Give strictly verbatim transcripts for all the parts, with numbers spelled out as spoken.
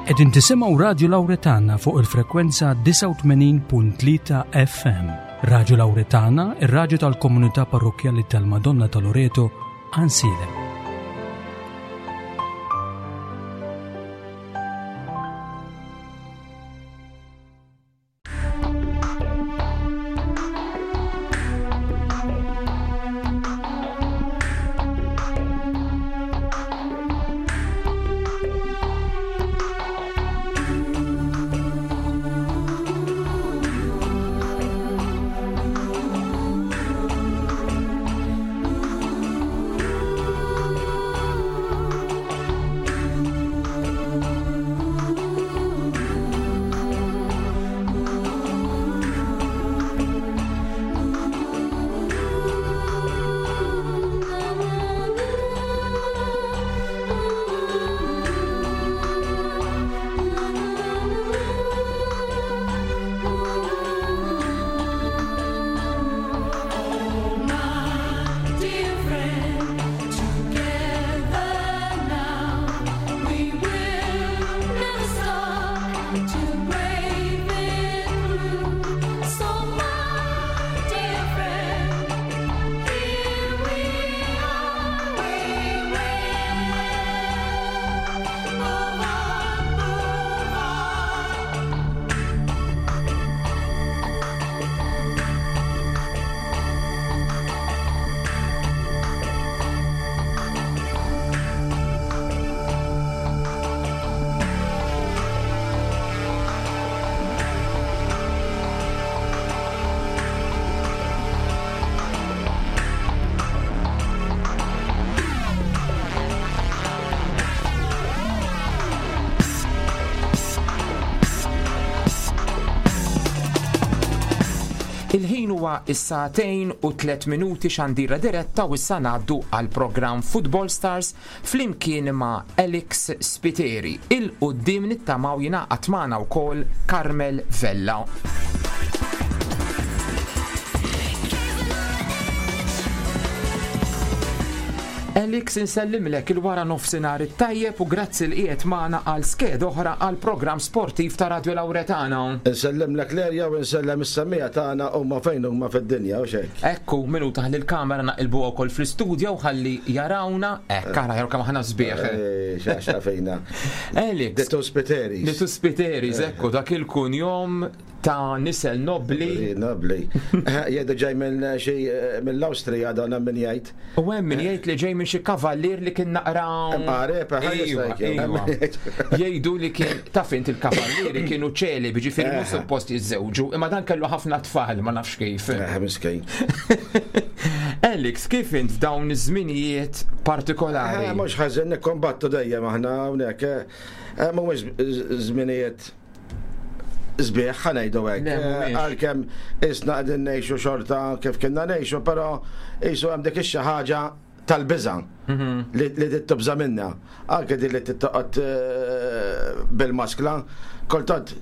Qegħdin tisimgħu Radio Lauretana fuq il-frekwenza disgħa u tmenin punt tlieta F M. Radio Lauretana, ir-raġu tal-komunità parrokkjali tal-Madonna ta' Loreto, Għajnsielem. Dear friend, together now we will never stop to brave it through. So, my dear friend, here we are, we will move on, move on. Il-ħin huwa is-sagħtejn u tliet minuti, xandira diretta, u issa ngħaddu għal programm Football Stars flimkien ma' Alex Spiteri. 'Il quddiem nittamaw jingħaqad magħna wkoll Carmel Vella. Alex, insellimlek, il-wara nofsinhar it-tajjeb u grazzi li qiegħed magħna għal skeda oħra għal programm sportiv ta' Radio Lauretana. Insellem lek Lerja u insellem is-semmiegħa tagħna huma fejn huma fid-dinja u xek. Ekku, minuta ħalli l-kamera naqilbu wkoll fl-istudio u ħalli jarawna. Ekk, ara jaraw kemm aħna sbieħ. Xaxta fejna. Alex, The two Spiteris. The two Spiteris, ekku, dak il-kunjom ta' nisel nobli. Nobli. Jgħidu ġej minn xi mill-Awstrija, dan min jgħid. U hemm min jgħid li ġej minn xi kavallier li kien naqra. Qareb, ħa Iwa, jista' jkun. iwa. Jgħidu li kien, taf int, il-kavallieri kienu ċeli, ġifieri mhux suppost jiżżewġu, imma dan kellu ħafna tfal, ma nafx kif. Eh, miskin. Alex, kif int f'dawn iż-żminijiet partikolari? Eh, Mhux ħażin, nikkombattu dejjem aħna hawnhekk. eh, Mhumiex żminijiet sbieħ, ħa ngħidu hekk. Le, mhumiex. Għalkemm isna qegħdin ngħixu xorta kif kienna ngħixu, però qisu hemm dik ix-xi ħaġa tal-biża' li li tibża' minna. Anke din li tittoqgħod eh, bil-maskla, kultant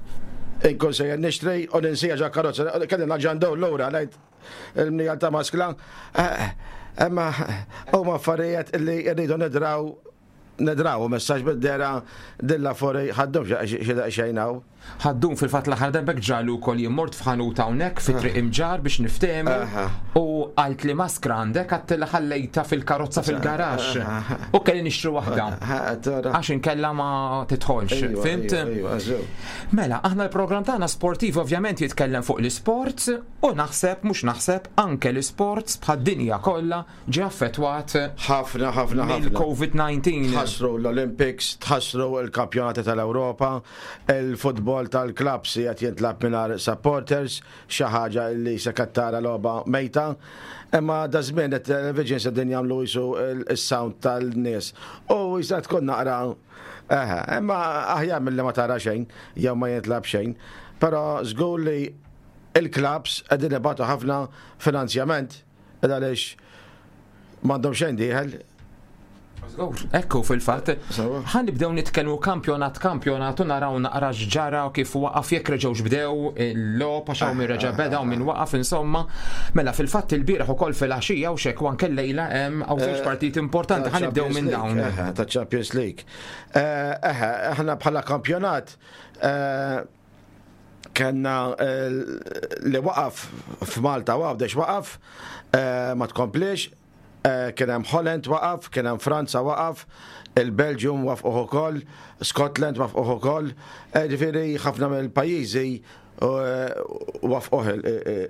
inkun sejjer nixtri u ninsija ġo karozza, kelli naġandaw lura ngħid il-mnija ta' maskla. Eh, Imma huma affarijiet li rridu nidraw nidraw, messaġ bid-dera dilla fori ħaddum xi daqsxejn hawn. Ħaddum, fil-fatt l-aħħar darbek ġralu wkoll jien mort f'ħanut hawnhekk fi Triq Imġar biex niftehmu Aha. u għalt li maskra għandek, għadt li ħallejta fil-karozza fil-garaxx. U kelli nixtru waħda. Għax inkella ma tidħolx, Ejwa, fhimt? ejwa, ejwa, żew. Mela, aħna l-programm tagħna sportiv ovvjament jitkellem fuq l-isports u naħseb, mhux naħseb, anke l-isports bħad-dinja kollha ġie affettwat Ħafna, ħafna, ħafna. mill-COVID disa. Tħassru l-Olympics, tħassru l-kampjonati tal-Ewropa, il-futbol tal-clubs qed jintlagħab mingħajr supporters, xi ħaġa li se kattara logħba mejta. Imma da żmien it-television se din jagħmlu jisu il-sound tal-nies. U jista' tkun naqra eħe, imma aħjar mill-li ma tara xejn, jew ma jintlagħab xejn. Però żgur li il-clubs qegħdin ibatu ħafna finanzjament għaliex m'għandhom xejn dieħel. Ekku fil-fatt, ħa nibdew nitkellmu kampjonat kampjonat u naraw naqra x'ġara u kif waqaf, jekk reġgħux bdew il-logħob, għax hawn min reġa' beda u min waqaf, insomma. Mela fil-fatt il-bieraħ ukoll fil-għaxija u xek u anke lejla hemm hawn żewġ partiti importanti, ħa nibdew minn dawn. Ta' Champions League. Eħe, aħna bħala kampjonat kellna li waqaf f'Malta u Għawdex waqaf, ma tkomplix, kien hemm Holland waqaf, kien hemm Franza waqaf, il-Belgium waqfuh ukoll, Scotland waqfuh ukoll, ġifieri ħafna mill-pajjiżi waqfuh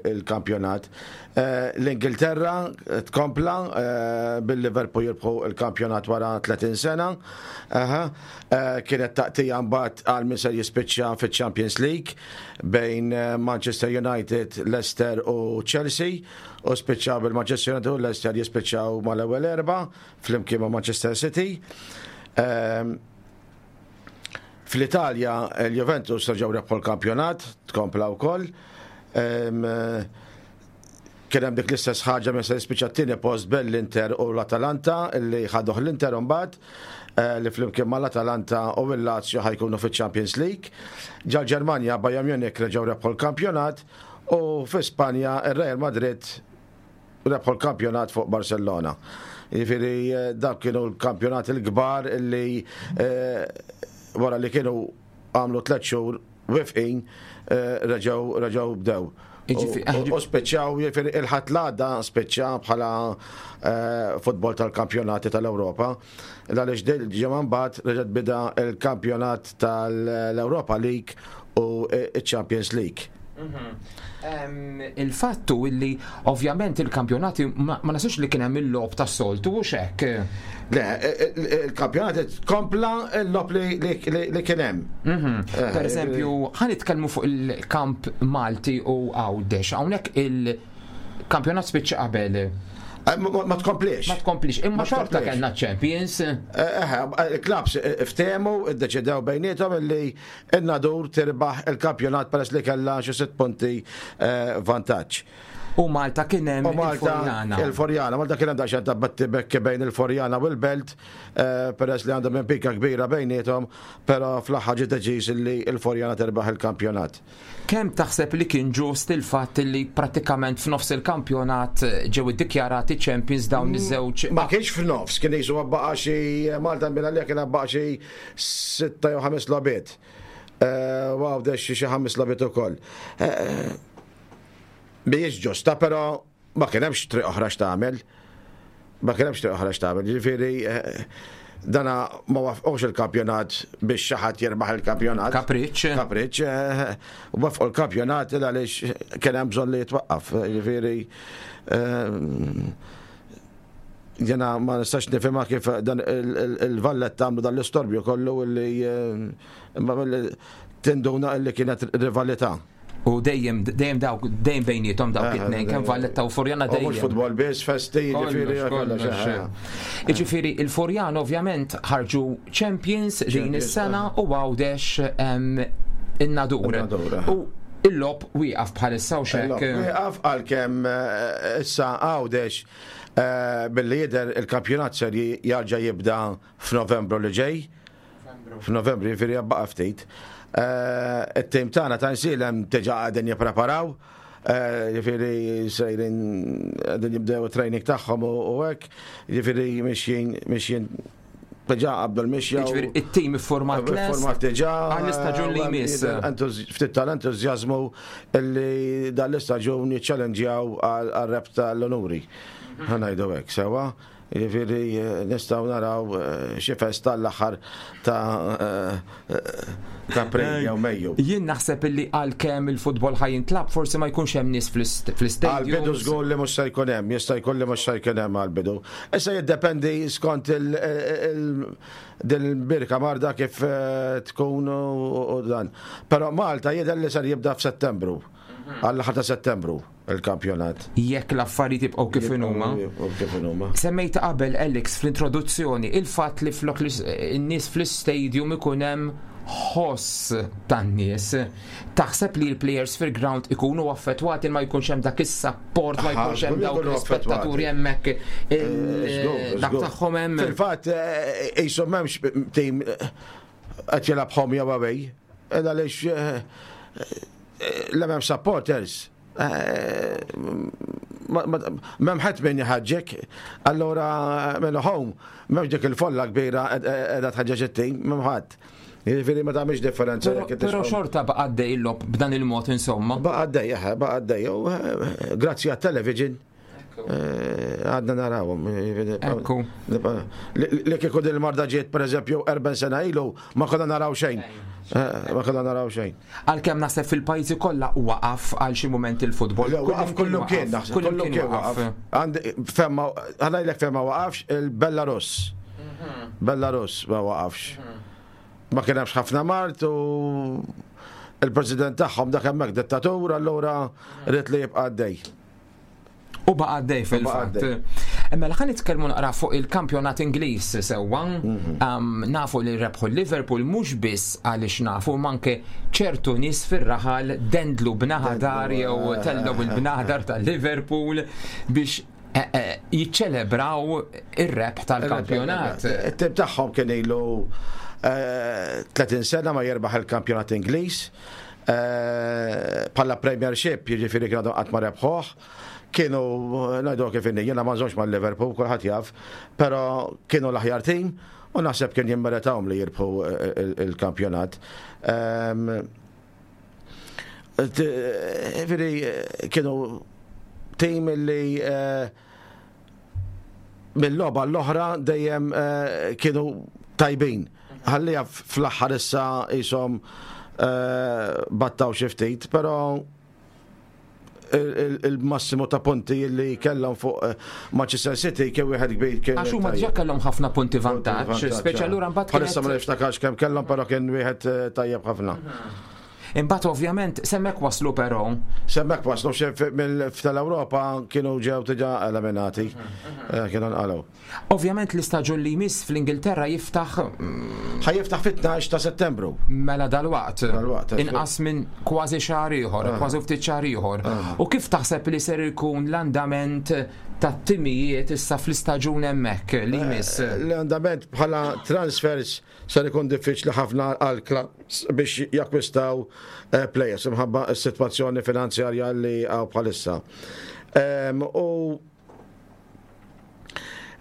il-kampjonat. L-Ingilterra tkompla bil-Liverpool jirbħu il-kampjonat wara tletin sena. Kienet taqtija mbagħad għal min se jispiċċa fiċ-Champions League bejn Manchester United, Leicester u Chelsea, u spiċċaw bil-Manchester United u Leicester jispiċċaw mal-ewwel erba' flimkien ma' Manchester City. Fl-Italja il-Juventus reġgħu rebħu l-kampjonat, tkompla wkoll. Kien hemm dik l-istess ħaġa meta se jispiċċa t-tieni post bejn l-Inter u l-Atalanta, li ħaduh l-Inter mbagħad, li flimkien mal-Atalanta u l-Lazio ħa jkunu fiċ-Champions League. Ġal Ġermanja Bayern Munich reġgħu rebħu l-kampjonat, u fi Spanja ir-Real Madrid rebħu l-kampjonat fuq Barcellona. Jiġifieri dak kienu l-kampjonat il-kbar illi wara li kienu għamlu tliet xhur wifqin, reġgħu reġgħu bdew. U spiċċaw, jiġifieri il-Ħadd l-għadda spiċċa bħala futbol tal-kampjonati tal-Ewropa. Għaliex dil ġimgħa mbagħad reġgħet bida il-kampjonat tal-Europa League u il-Champions League. Il-fattu illi ovvjament il-kampjonati ma nasux li kien hemm il-logħob tas-soltu u xek. Le, il-kampjonati kompla il-logħob li kien hemm. Per eżempju, ħa nitkellmu fuq il-kamp Malti u Għawdex. Hawnhekk il-kampjonat spiċċa qabel. Ma tkomplix. Ma tkomplix, imma xorta kellna Champions. Il-klabs ftehmu, iddeċidew bejniethom illi n-Nadur tirbaħ il-kampjonat peress li kellha xi sitt punti vantaġġ. U Malta kien hemm il-Furjana. Il-Furjana, Malta kien hemm daqsxejn ta' battibekki bejn il-Furjana u l-Belt, peress li għandhom pika kbira bejniethom, però fl-aħħar ġie deċiż li l-Furjana terbaħ il-kampjonat. Kemm taħseb li kien ġust il-fatt li prattikament f'nofs il-kampjonat ġew iddikjarati champions dawn iż-żewġ? Ma kienx f'nofs, kien jisu baqa' xi Malta minn għalija kien baqa' xi sitta jew ħames logħbiet. U Għawdex xi ħames logħbiet ukoll. Mhijiex ġusta, però ma kien hemmx triq oħra x'tagħmel. Ma kien hemmx triq oħra x'tagħmel. Ġifieri dana ma wafqux il-kampjonat biex xi ħadd jirbaħ il-kampjonat. Kapriċ. Kapriċ. Wafqu l-kampjonat għaliex kien hemm bżonn li jitwaqqaf. Ġifieri jiena ma nistax nifhimha kif dan il-Valletta għamlu dan l-istorbju kollu li tinduna li kienet rivalità. U dejjem dejjem dawk dejjem bejniethom dawk it-tnejn, kemm Valletta u Furjana dejjem. Mhux futbol biss, festi, jiġifieri kollox. Jiġifieri il-Furjana ovvjament ħarġu champions din is-sena u Għawdex in-Nadur. U il-logħob wieqaf bħalissa u xek. Wieqaf għalkemm issa Għawdex billi jidher il-kampjonat ser jarġa' jibda f'Novembru li ġej. F'Novembru jiġifieri baqa' ftit. It-tim tagħna ta' Nsilem diġà qegħdin jippreparaw, jiġifieri sejrin qegħdin jibdew it-training tagħhom u hekk, jiġifieri mixjin mixjin diġà qabdu l-mixja. Jiġifieri it-tim iffurmat lest. Iffurmat diġà. Għall-istaġun li jmiss. Ftit tal-entużjażmu li dan l-istaġun jiċċellenġjaw għar-rebħ tal-onuri. Ħa ngħidu hekk sewwa. Jiġifieri nistgħu naraw xi festa l-aħħar ta' ta' April jew Mejju. Jien naħseb illi għalkemm il-futbol ħa jintlab forsi ma jkunx hemm nies fl-istadium. Għall-bidu żgur li mhux se jkun hemm, jista' jkun li mhux se jkun hemm għall-bidu. Issa jiddependi skont il-birka marda kif tkun u dan. Però Malta jidher li ser jibda f'Settembru. Għall-aħħar ta' Settembru il-kampjonat. Jekk l-affarijiet jibqgħu kif inhuma. Kif inhuma. Semmejt qabel Alex fl-introduzzjoni il-fatt li flok n-nies fl-istadium ikun hemm Ħoss tan-nies. Taħseb li l-players fil-ground ikunu affettwati, ma jkunx hemm dak is-support, ma jkunx hemm dawk l-spettaturi hemmhekk, eh, dak tagħhom hemm? Fil-fatt qisu m'hemmx team qed jilgħab home jew away. Għaliex l-hemm supporters. M'hemm ħadd min jħeġġek, allora minn home, m'hemmx dik il-folla kbira qiegħda tħeġġeġ it-team, m'hemm ħadd. Jiġifieri ma tagħmilx differenza. Però xorta baqa' għaddej il-logħob b'dan il-mod, insomma. Baqa' għaddej, baqa' għaddej. Grazzi għat-television eh, għadna narawhom. Ekku. Li kieku din il-marda ġiet, per eżempju, erbgħin sena ilu, ma konna naraw xejn. Eh, ma konna naraw xejn. Għalkemm naħseb fil-pajjiżi kollha waqaf għal xi mument il-futbol. Waqaf kullu kien, naħseb kullu kien waqaf. Femma, ħa ngħidlek fejn ma waqafx, il-Belarus. Mhm. Belarus ma waqafx. Mhm. Ma kien hemmx ħafna mard u il-president tagħhom dak hemmhekk dittatur, allura ried li jibqa' għaddej. U baqa' għaddej fil-fatt. Imma ħa nitkellmu naqra fuq il-kampjonat Ingliż sewwa. Mhm. Nafu li rebħu Liverpool, mhux biss għaliex nafu, manke ċertu nies fir-raħal dendlu bl-aħdar jew eh, tellgħu il-bl-aħdar tal-Liverpool biex eh, eh, jiċċelebraw ir-rebħ tal-kampjonat. It-tim tagħhom kien ilu tletin sena ma jirbaħ il-kampjonat Ingliż. Bħala Premiership, jiġifieri kienu qatt ma rebħuh. Kienu, ngħidu kif inni, jiena ma nżommx mal-Liverpool, kulħadd jaf, però kienu l-aħjar team u naħseb kien jimmeritawhom li jirbħu il-kampjonat. Jiġifieri kienu team li mill-logħba l-oħra dejjem kienu tajbin. Ħallija fl-aħħar issa jisom battaw xi ftit, però il-massimu ta' punti li kellhom fuq eh, Manchester City kien wieħed kbir kien. Għax huma diġà kellhom ħafna punti vantaġġ, speċa allura mbagħad. Bħalissa ma niftakarx kemm kellhom, però kien wieħed eh, tajjeb ħafna. Imbagħad ovvjament s'hemmhekk waslu però. S'hemmhekk waslu, tal-Ewropa kienu ġew diġà eliminati. Eh, kienu nqalgħu. Ovvjament l-istaġun li jmiss fl-Ingilterra jiftaħ mm, Ħa jiftaħ fit-tnax ta' Settembru. Mela dalwaqt. Dalwaqt. Inqas minn kważi xahar ieħor, ah. kważi ftit xahar ieħor. Ah. U kif taħseb li ser ikun l-andament tat-timijiet issa fl-istaġun hemmhekk li jmiss? Eh, l-andament bħala transfers ser ikun diffiċli ħafna għal clubs biex jakkwistaw eh, players imħabba s-sitwazzjoni finanzjarja li hawn bħalissa. U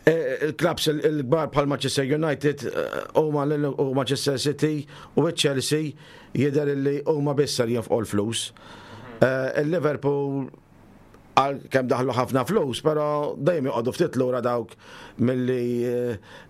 eh, il-clubs il-kbar bħal Manchester United eh, u Manchester City u Chelsea jidher li huma biss ser jonfqu l-flus. Il-Liverpool għal kemm daħlu ħafna flus, pero dejjem joqogħdu ftit lura dawk milli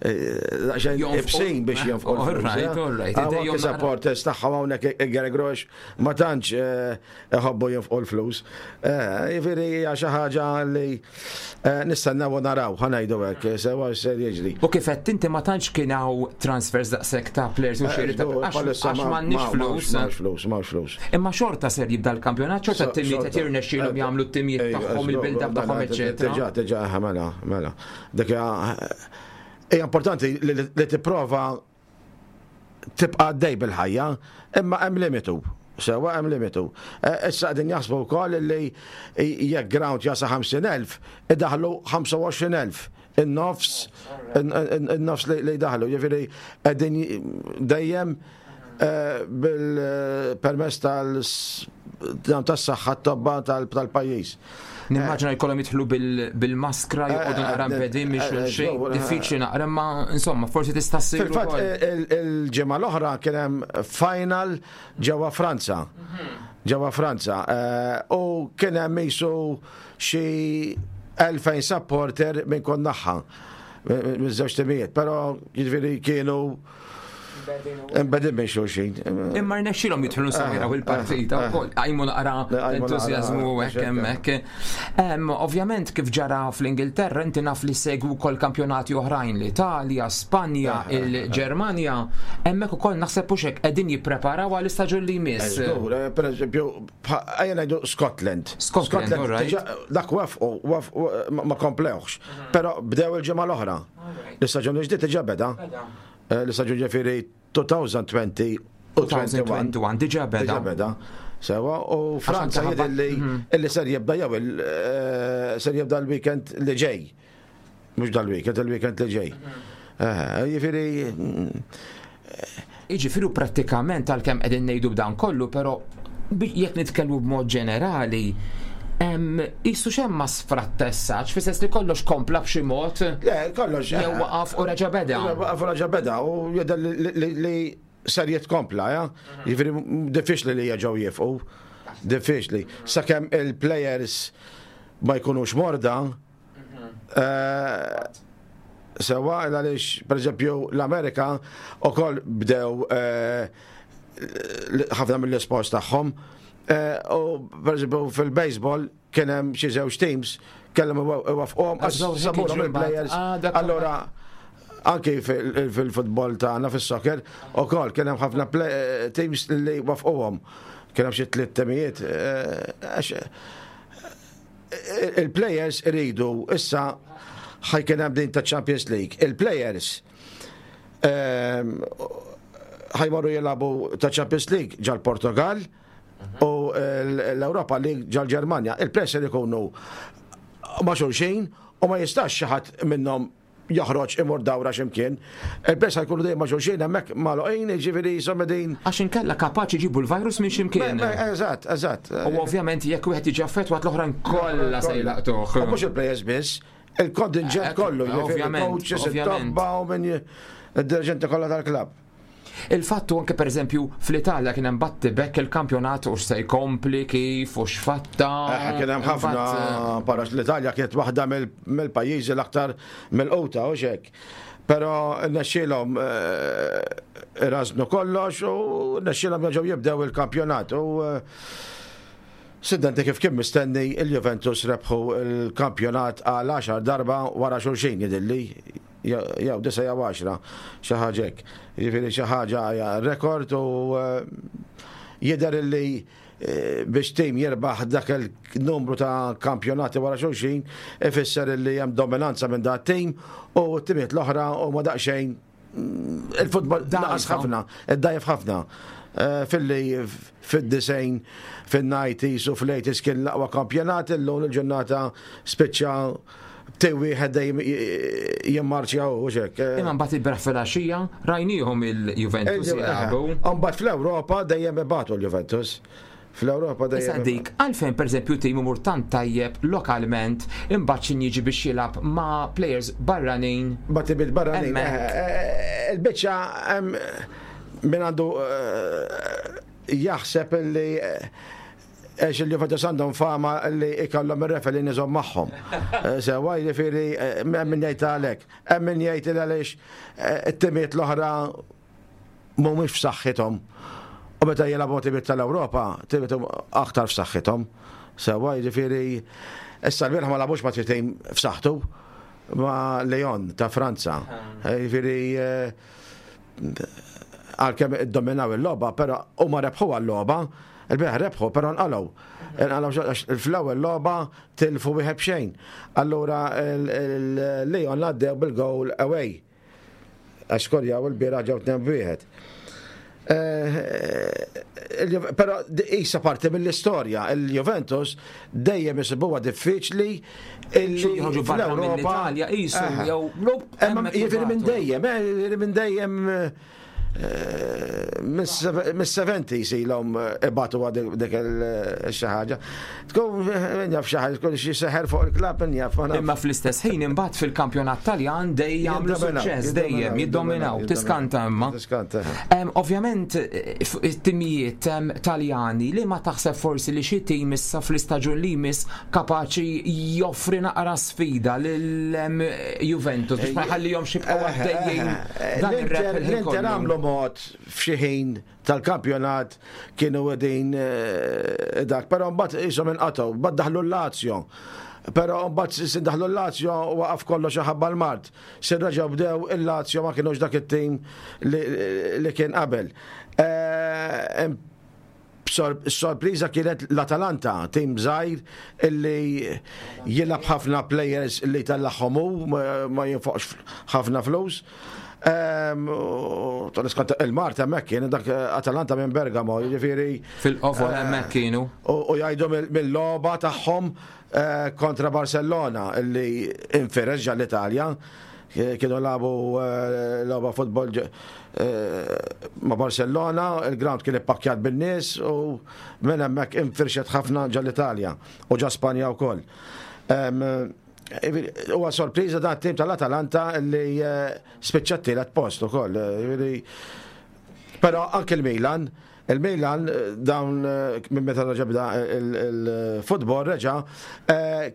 xejn ibsin biex jonfqu l-flus. All right, all right. Anke supporters tagħhom hawnhekk il-Gary ma tantx eh, iħobbu jonfqu l-flus. Eh, jiġifieri hija xi ħaġa li eh, nistennew u naraw, ħa ngħidu hekk, sewa ser jiġri. U kif qed inti, ma tantx kien hawn transfers daqshekk ta' players u xiri ta' għax m'għandniex flus. M'hawnx flus, m'hawnx flus. Imma xorta ser jibda l-kampjonat, xorta t-timijiet qed jirnexxielhom jagħmlu t-timijiet tagħhom, il-build-up tagħhom, eċetera. Diġà, diġà, mela, mela. Dik hija importanti li tipprova tibqa' għaddej bil-ħajja, imma hemm limitu. Sewa, hemm limitu. Eh, issa qegħdin jaħsbu wkoll li jekk ground jasa ħamsin elf, idaħlu ħamsa u għoxrin elf, in-nofs in-nofs li daħlu. Jiġifieri qegħdin dejjem eh, bil-permess tal-tas-saħħa, t-tobba tal-pajjiż. Nimmaġina jkollhom jidħlu bil-maskra, joqogħdu naqra mbegħdin minn xulxin, diffiċli naqra, ma insomma forsi tista' ssir. Fil-fatt il-ġimgħa l-oħra kien hemm final ġewwa Franza. Ġewwa Franza. Eh, u kien hemm qisu xi elfejn supporter minn kull naħa minn żewġ timijiet, però jiġifieri kienu mbegħdin minn xulxin. Imma rnexxilhom jidħlu insomma jaraw il-partita wkoll. Qajmu naqra entużjażmu hekk hemmhekk. Ovvjament kif ġara fl-Ingilterra, inti naf li segwu wkoll kampjonati oħrajn, l-Italja, Spanja, il-Ġermanja, hemmhekk ukoll naħseb hux hekk qegħdin jippreparaw għall-istaġun li jmiss. Per eżempju, ejja ngħidu Scotland. Scotland, dak waqfu, ma komplewx. Però bdew il-ġimgħa l-oħra. L-istaġun ġdid diġà beda. L-istaġun, ġifieri elfejn u għoxrin. elfejn u wieħed u għoxrin. Diġà beda. Diġà beda. Sewa, u Franza anke jidher li illi ser jibda jew il- eh, ser jibda l-weekend li ġej. Mhux dal-weekend, il-weekend li ġej. Eh, Jiġifieri mm, Jiġifieri prattikament, għalkemm qegħdin ngħidu b'dan kollu, però bi- jekk nitkellmu b'mod ġenerali, em, qisu xejn ma sfrattessax, fis-sens li kollox kompla b'xi mod, Le, kollox. jew waqaf u reġa' beda. Waqaf u reġa' beda u jidher li- li li- li ser jitkompla, ja? Jiġifieri diffiċli li jerġgħu jieqfu. Diffiċli. Sakemm il-players ma jkunux morda, eh, sewa, għaliex, per eżempju, l-Amerika ukoll bdew eh, ħafna mill-sports tagħhom. Eh, U per eżempju fil-baseball kien hemm xi żewġ teams kellhom iwaqqfuhom għax Żewġ sabulhom jiġu il-players. mbagħad. Ah, dak- Allora anki fil- fil-futbol tagħna, fis-soccer ukoll kien hemm ħafna play- teams li waqqfuhom. Kien hemm xi tliet temijiet, eh, għax eh, il-players iridu issa ħa jkun hemm din ta' Champions League. Il-players ehm, ħa jmorru jilagħbu ta' Champions League ġol-Portugal u l-Europa League ġol-Ġermanja. Il-players ser ikunu ma' xulxin u ma jistax xi ħadd minnhom joħroġ imur dawra x'imkien. Il-players ħa jkunu dejjem ma' xulxin hemmhekk magħluqin, jiġifieri insomma din. Għax inkella kapaċi jġibu l-virus minn x'imkien. Eżatt, eżatt. U ovvjament jekk wieħed jiġi affettwat, l-oħrajn kollha se jlaqtuh. U mhux il-players biss, il-kontingent Eh, kollu, jiġifieri ovvjament, coaches, ovvjament. it-tobba u minn id-dirigenti kollha tal-klabb. Il-fattu anke, per eżempju, fl-Italja kien hemm battibekk il-kampjonat u x'se jkompli, kif u x'fatta. Eh, Kien hemm ħafna Imbagħad, parax l-Italja kienet waħda mill- mill-pajjiżi l-aktar milquta u xek. Però rnexxielhom rażnu kollox u rnexxielhom jerġgħu jibdew il-kampjonat u eh, Siddanti kif kien mistenni, il-Juventus rebħu il-kampjonat għal għaxar darba wara xulxin, jidhirli jew disa jew għaxra, xi ħaġa hekk. Jiġifieri xi ħaġa hija rekord u eh, jidher li eh, biex tim jirbaħ dak il-numru ta' kampjonati wara xulxin ifisser li hemm dominanza minn dat tim u t-timiet l-oħra u ma daqsxejn mm, il-futbol naqas Dgħajfa. ħafna, id-dgħajjef ħafna. Eh, Filli fid-disgħin, fin-nineties u fl-eighties kien l-aqwa kampjonat, illum il-ġurnata spiċċa tim wieħed dejjem jimmarċja u xek. Imma mbagħad ilbieraħ filgħaxija rajniehom il-Juventus jilagħbu. Mbagħad fl-Ewropa dejjem ibatu l-Juventus. Fl-Ewropa Issa dejjem. dik, għalfejn, per eżempju, tim imur tant tajjeb lokalment, imbagħad xin jiġi biex jilgħab ma' players barranin? Bati bil-barranin. Hemmhekk. Il-biċċa hemm min għandu eh, jaħseb li eh, għax il-Juventus għandhom fama li ikollhom ir-referee niżhom magħhom. Eh, Sewa, jiġifieri eh, hemm min jgħid għalhekk. Hemm min jgħid li għaliex eh, it-timiet l-oħra mhumiex f'saħħithom. U meta jilagħbu timiet tal-Ewropa, timiet aktar f'saħħithom. Sewa, jiġifieri issa l-bieraħ ma lagħbux ma' tim f'saħħtu, ma' Lyon ta' Franza. Eh, Jiġifieri eh, għalkemm iddominaw il-logħba, però huma rebħu għal-logħba, il-bieraħ rebħu, però nqalgħu. Nqalgħu għax fl-ewwel logħba tilfu wieħed b'xejn. Allura il-Lyon għaddew bil-goal away. Għax skorjaw il-bieraħ, ġew tnejn wieħed. Eh, Però issa parti mill-istorja, il-Juventus dejjem isibuha diffiċli illi Xi jħorġu barra fl-Ewropa- mill-Italja qisu Aha. jew lup, Imma hemmhekk jiġifieri minn jibgħatu. dejjem, eh, jiġifieri minn dejjem eh, mis-seventies ilhom ibatu dik il-xi ħaġa. Tkun min jaf xi ħaġa, tkun xi seħer fuq il-klabb, min jaf. ma nafx. Imma fl-istess ħin imbagħad fil-kampjonat Taljan dejjem jagħmlu Jiddominaw, suċċess, dejjem jiddominaw, tiskanta imma. Tiskanta. Em, Ovvjament eh, f- it-timijiet em, Taljani, li ma taħseb forsi li xi tim issa fl-istaġun li jmiss kapaċi joffri naqra sfida lil em, Juventus biex ma jħallihomx jibqgħu għaddejjin dan ir-rep L-Inter il-ħin l-Inter kollu? għamlu mod f'xi ħin tal-kampjonat kienu qegħdin eh, dak, però mbagħad qishom inqatgħu, mbagħad daħlu l-Lazio. Però mbagħad sin daħlu l-Lazio waqaf kollox ħabba l-mard. Sin reġgħu bdew, il-Lazio ma kienux dak it-tim li, li kien qabel. Eh, Sorpriża kienet l-Atalanta, tim żgħir illi jilgħab ħafna players li tellagħhom hu, ma jinfoqx ħafna flus. Tal-iskont il-Mart hemmhekk kien dak Atalanta minn Bergamo, jiġifieri. Fil-qofol hemmhekk kienu. U jgħidu mill-logħba tagħhom eh, kontra Barcellona illi infirex l-Italja, kienu lagħbu eh, logħba futbol eh, ma' Barcellona, il-ground kien ippakkjat bin-nies u minn hemmhekk infirxet ħafna ġo l-Italja u ġo Spanja wkoll. Huwa sorpriża dan tim tal-Atalanta li eh, spiċċat tielet post ukoll. Però anke il-Milan, il-Milan dawn minn meta reġa' bda il-futbol reġa'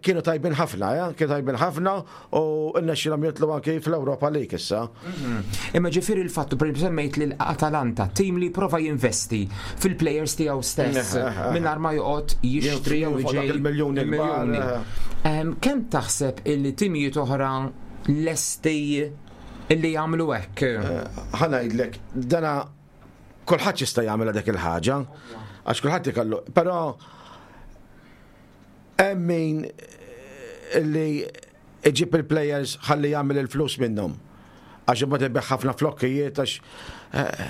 kienu tajbin ħafna, kienu tajbin ħafna u rnexxielhom jitilgħu anki fl-Europa League issa. Mhm. Imma ġifieri il-fattu per semmejt lil Atalanta, tim li prova jinvesti fil-players tiegħu stess mingħajr ma joqgħod jixtri jew il-miljuni. Kemm taħseb illi timijiet oħra lesti illi jagħmlu hekk? Ħa ngħidlek, dana kulħadd jista' jagħmel dik il-ħaġa, għax kulħadd ikollu, però hemm min li iġib il-players ħalli jagħmel il-flus minnhom. Għax imbagħad ibigħ ħafna flokkijiet, għax eh,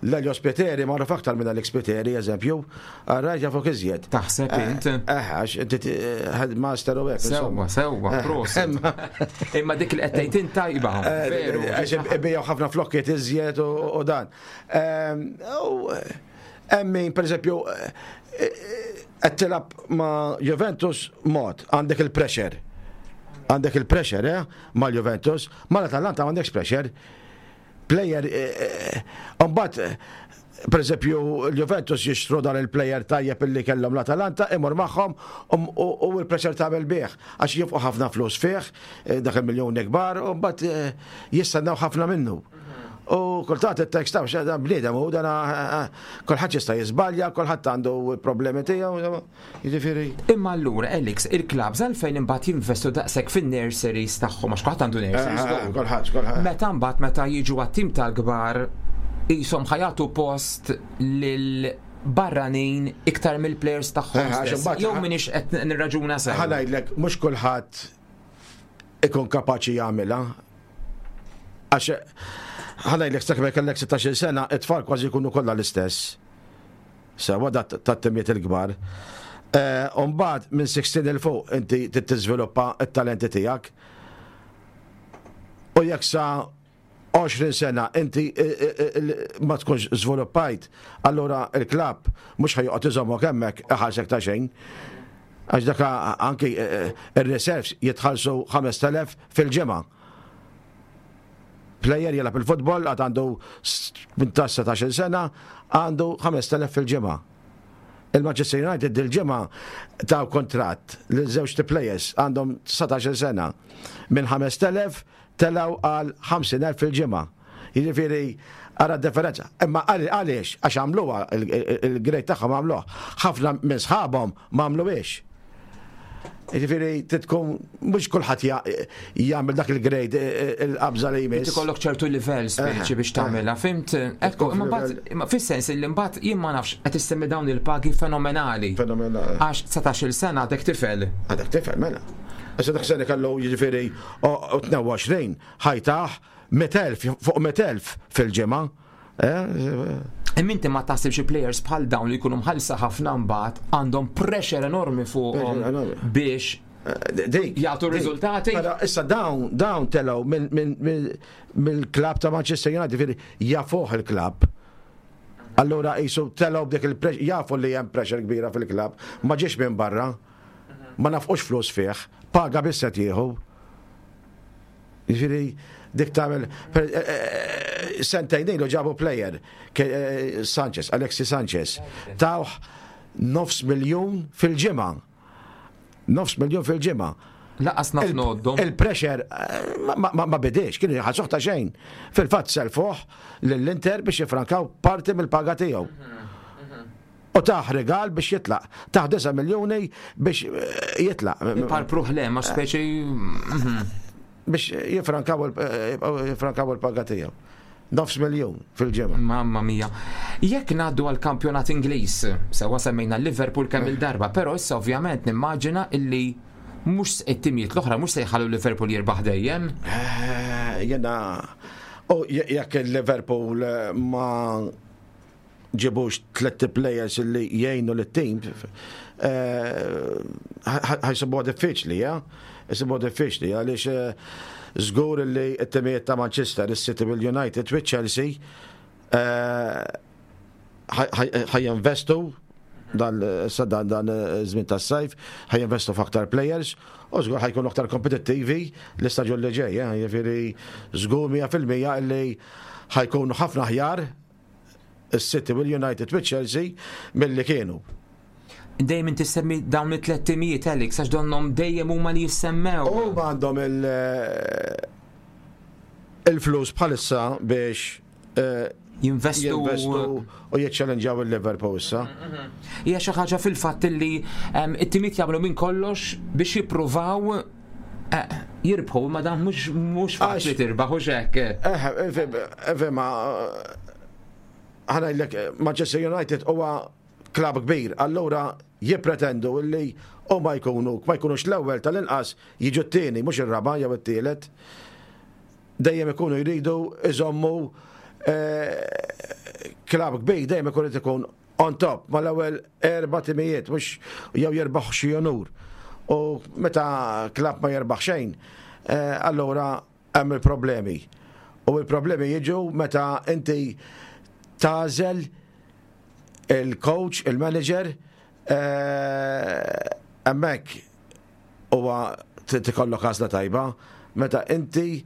l-Elio Spiteri magħruf aktar minn Alex Spiteri, eżempju, għarrajt jafu iżjed. Taħseb int? Eh, għax inti headmaster u hekk. Sewwa, sewwa, prosit. Imma dik li qed tgħid int tajba. Veru. Għax ibigħu ħafna flokkijiet iżjed u dan. Hemm min, per eżempju, qed tilgħab ma' Juventus mod, għandek il-pressure. Għandek il-pressure, eh, ma' Juventus, ma' l-Atalanta m'għandekx pressure. Player, mbagħad, per eżempju, l-Juventus jixtru dan il-player tajjeb illi kellhom l-Atalanta, imur magħhom u l-pressure tagħmel bih, għax jifqu ħafna flus fih, dak il-miljoni kbar, u mbagħad jistennew ħafna minnu. U kultant it-tekst ta' dan bniedem u dan kulħadd jista' jiżbalja, kulħadd għandu problemi tiegħu, jiġifieri. Imma allura, Alex, il-klabs għalfejn imbagħad jinvestu daqshekk fin-nurseries tagħhom, għax kulħadd għandu nurseries. Kulħadd, kulħadd. Meta mbagħad meta jiġu għat-tim tal-kbar qishom ħa jagħtu post lil barranin iktar mill-players tagħhom. Jew minix qed nirraġuna sew. Ħa ngħidlek, mhux kulħadd ikun kapaċi jagħmilha. Għax ħa ngħidlek, sakemm kellek sittax-il sena, it-tfal kważi jkunu kollha l-istess. Sewa tat-timijiet il-kbar. Umbagħad minn sittax 'il fuq inti tiżviluppa t-talenti tiegħek. U jekk sa għoxrin sena inti ma tkunx żviluppajt, allura il-klab mhux ħa joqgħod iżommok hemmhekk iħallsek ta' xejn. Għax dak anki ir-reserves jitħallsu ħamest elef fil-ġimgħa. Player jilgħab il-futbol għad għandu tmintax sena, għandu ħamest elef fil-ġimgħa. Il-Manchester United dil-ġimgħa taw kontratt lil żewġ players għandhom dsatax-il sena. Minn ħamest elef telgħu għal ħamsin elf fil-ġimgħa. Jiġifieri ara differenza. Imma għaliex? Għax għamluha il-grade tagħhom għamluha. Ħafna minn sħabhom ma għamluhiex. Jiġifieri titkun mhux kulħadd jagħmel dak il-grade, il-qabża li jmiss. Ikollok ċertu livell speċi biex tagħmilha, fhimt? Ekku, imma fis-sens li mbagħad jien ma nafx, qed issemmi dawn il-pagi fenomenali. Fenomenali. Għax dsatax-il sena għadek tifel. Għadek tifel, mela. Issa dak sena kellu jiġifieri tnejn u għoxrin, ħa jtah mitt elf fuq mitt elf fil-ġimgħa. Imma inti ma taħsibx players bħal dawn li jkunu mħallsa ħafna mbagħad għandhom pressure enormi fuqhom biex Dik. jagħtu riżultati? Però issa dawn dawn telgħu mill-klab ta' Manchester United, jiġifieri jafuh il-klab. Allura jisu telgħu b'dik il-pressure, jafu li hemm pressure kbira fil-klab, ma ġiex minn barra, ma nafqux flus fih, paga biss qed jieħu. Jiġifieri dik tagħmel sentejn ilu ġabu player Sanchez, Alexis Sanchez. Tawh nofs miljun fil-ġimgħa. Nofs miljun fil-ġimgħa. Lanqas naf ngħoddhom. Il-pressure ma bidiex, kienu jħallsuh ta' xejn. Fil-fatt selfuh lill-Inter biex jifrankaw parti mill-paga tiegħu. U tah rigal biex jitlaq. Tah disa' miljoni biex jitlaq. Parpruħ le, ma speċi. Biex jifrankaw il-paga tiegħu. Nofs miljun fil-ġimgħa. Mamma mia. Jekk ngħaddu għal kampjonat Ingliż, sewa semmejna Liverpool kemm il-darba, però issa ovvjament nimmaġina illi mhux it-timijiet l-oħra mhux se jħallu Liverpool jirbaħ dejjem. Eh, Jena, u je- jekk il-Liverpool eh, ma ġibux tlet players li jgħinu l-team, ħa jsibuha diffiċli, ja? Jsibuha diffiċli, għaliex eh, żgur li t-timijiet ta' Manchester, il-City bil-United, u Chelsea, eh, ħa jinvestu dan sa dan dan żmien tas-sajf, ħa jinvestu f'aktar players u żgur ħa jkunu aktar kompetittivi l-istaġun li ġej, eh, jiġifieri żgur mija fil-mija li ħa jkunu ħafna aħjar is-City u l-United u Chelsea milli kienu. Dejjem inti semmi dawn it-tlet timijiet, Alex, għax donhom dejjem huma li jissemmew. U għandhom il- il-flus bħalissa biex eh, Jinvestu. jinvestu u jiċċellenġaw il-Liverpool issa. Hija xi ħaġa fil-fatt li em, it-timijiet jagħmlu minn kollox biex jippruvaw eh, jirbħu, ma dan mhux mhux faċli Għax- tirbaħ u hekk. Eh, Fema, ħa ngħidlek, Manchester United huwa klab kbir, allura jippretendu illi u ma jkunu, ma jkunux l-ewwel tal-inqas jiġu t-tieni, mhux ir-raba' jew it-tielet. Dejjem ikunu jridu iżommu eh, klab kbir, dejjem ikun irid ikun on top mal-ewwel erba' timijiet, mhux jew jirbaħ xi onur. U meta klab ma jirbaħ xejn, eh, allura hemm il-problemi. U il-problemi jiġu meta inti tagħżel il-coach, il-manager, eh, hemmhekk huwa tikollok għażla tajba, meta inti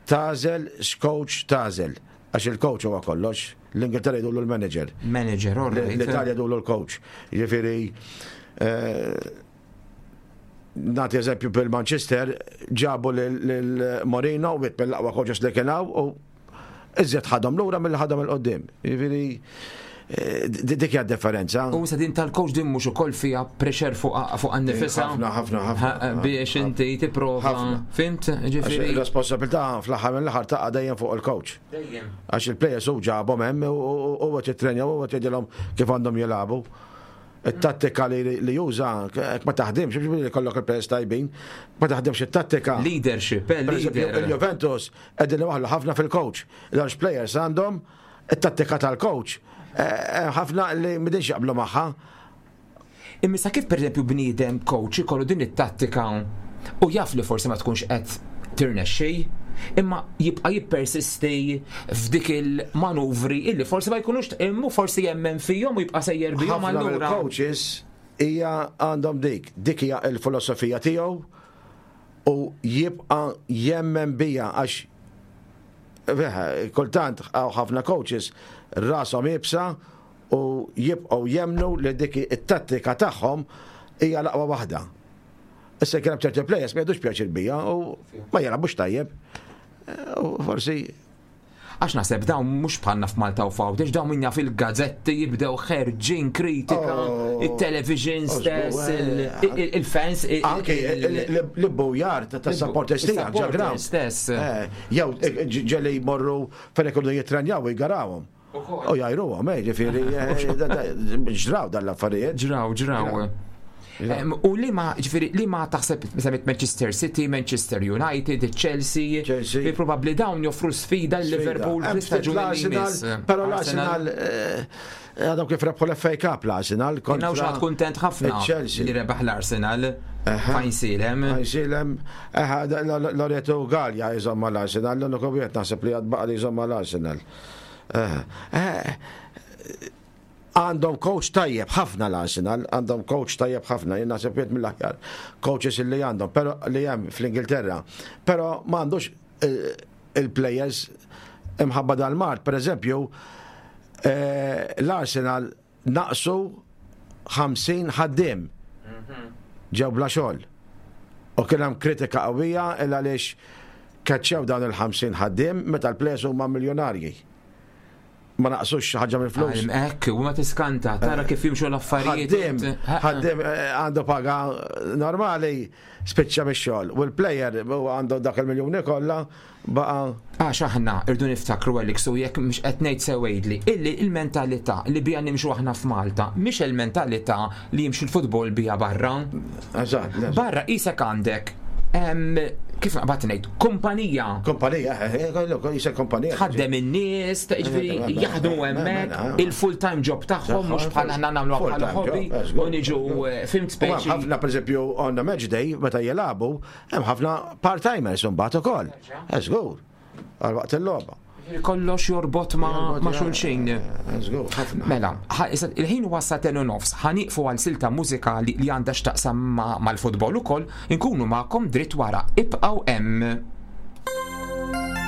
tagħżel x'coach tagħżel. Għax il-coach huwa kollox, l-Ingilterra jgħidulu l-manager. Manager, all right. L-Italja jgħidulu l-coach. Jiġifieri, eh, nagħti eżempju bil-Manchester, ġabu lil Mourinho, wieħed mill-aqwa coaches li kien hawn, u iżjed ħadhom lura milli ħadhom 'il quddiem. Jiġifieri, eh, dik hija differenza. U sa din tal-coach din mhux ukoll fiha pressure fuq fuq għan-nifisha. Ħafna, ħafna, ħafna. Biex inti tipprova. Ħafna. Fhimt? Ġifieri. Il-responsabilità fl-aħħar mill-aħħar taqa' dejjem fuq il-coach. Dejjem. Għax il-players u ġabhom hemm u huwa jitrenja u huwa jgħidilhom kif għandhom jilagħbu. it-tattika li li juża, jekk ma taħdimx, biex li kollok il-players tajbin, ma taħdimx it-tattika. Leadership, eh, Per eżempju, leader. il-Juventus qegħdin waħlu ħafna fil-coach. L-għax players għandhom it-tattika tal-coach. Eh, ħafna li m'għadhomx jaqblu magħha. Imma sa kif pereżempju bniedem coach ikollu din it-tattika u jaf li forsi ma tkunx qed tirnexxi, imma jibqa' jippersisti f'dik il-manuvri illi forsi ma jkunux immu forsi jemmen fihom u jibqa' sejjer bihom Ħafna allura. mill-coaches hija għandhom dik, dik hija il-filosofija tiegħu u jibqa' jemmen bija għax veħ, kultant għaw ħafna coaches rashom iebsa u jibqgħu jemnu li dik it-tattika tagħhom hija l-aqwa waħda. Issa kien hemm ċerti players ma jieħdux pjaċir bija u ma jilagħbux tajjeb. U forsi Għax naħseb dawn mhux bħalna f'Malta u f'Għawdex, dawn minna fil-gazzetti jibdew ħerġin kritika, Oh. il-television Oh, stess, żgur, il- il- il-fans, il- Anke il- l-boojar ta' supporters tiegħek ġo ground. stess. Eh, Jew eh, ġeli jmorru fejn ikunu jitrenjaw u jgarawhom. U jgħajruhom, eh, ġifieri eh, da- da- ġraw dan l-affarijiet. Ġraw, ġraw. Em, U li ma, ġifieri, li ma taħseb semmit Manchester City, Manchester United, Chelsea, Chelsea. li probabli dawn joffru sfida l-Liverpool Hemm ftit fl-istaġun li l-Arsenal, jmiss. Però l-Arsenal eh, għadhom kif rebħu l-F A Cup l-Arsenal kontra Jien xaħat kuntent ħafna Chelsea. li rebaħ l-Arsenal. Fajnsilem. Għajsilem, Loreto Gallia jżomm l-Arsenal, l-uniku wieħed naħseb li għad baqa li jżomm l-Arsenal. Eh, eh, Għandhom coach tajjeb ħafna l-Arsenal, għandhom coach tajjeb ħafna, jien naħseb wieħed mill-aħjar coaches li għandhom, pero li hemm fl-Ingilterra. Però ma għandux eh, il-players imħabba dal-mard, per eżempju, eh, l-Arsenal naqsu ħamsin ħaddim ġew bla xogħol. U kien hemm kritika qawwija il għaliex kaċċew dawn il-ħamsin ħaddiem meta l-players huma miljonarji. Ma naqsux xi ħaġa mill-flus. Hekk, u ma tiskanta, tara kif jimxu l-affarijiet. Ħaddiem, ħaddiem eh, għandu paga normali spiċċa mix-xogħol. U l-player huwa għandu dak il-miljuni kollha baqa' Għax aħna irdu niftakru, Alex, u jekk mhux qed ngħid sew għidli, illi il-mentalità li bija nimxu aħna f'Malta mhix il-mentalità li jimxu l-futbol bija barra. Eżatt. Barra isek għandek em, kif naqbad ngħid, kumpanija Kumpanija, eh, eh, jisek kumpanija. tħaddem in-nies, ta' jiġifieri jaħdmu hemmhekk il-full time job tagħhom, mhux bħal aħna nagħmlu bħala hobby u niġu eh, fimt U hemm speċi. ħafna, pereżempju, on the match day meta jilagħbu, hemm ħafna part-timers imbagħad ukoll. Eh, żgur. Għal waqt il-logħba. Kollox jorbot ma' ma' xulxin. Eh, żgur, ħafna. Mela, ħa- issa il-ħin huwa sagħtejn u nofs, ħa nieqfu għal silta mużikali li għandha x'taqsam ma- mal-futbol ukoll, inkunu magħkom dritt wara. Ibqgħu hemm. Thank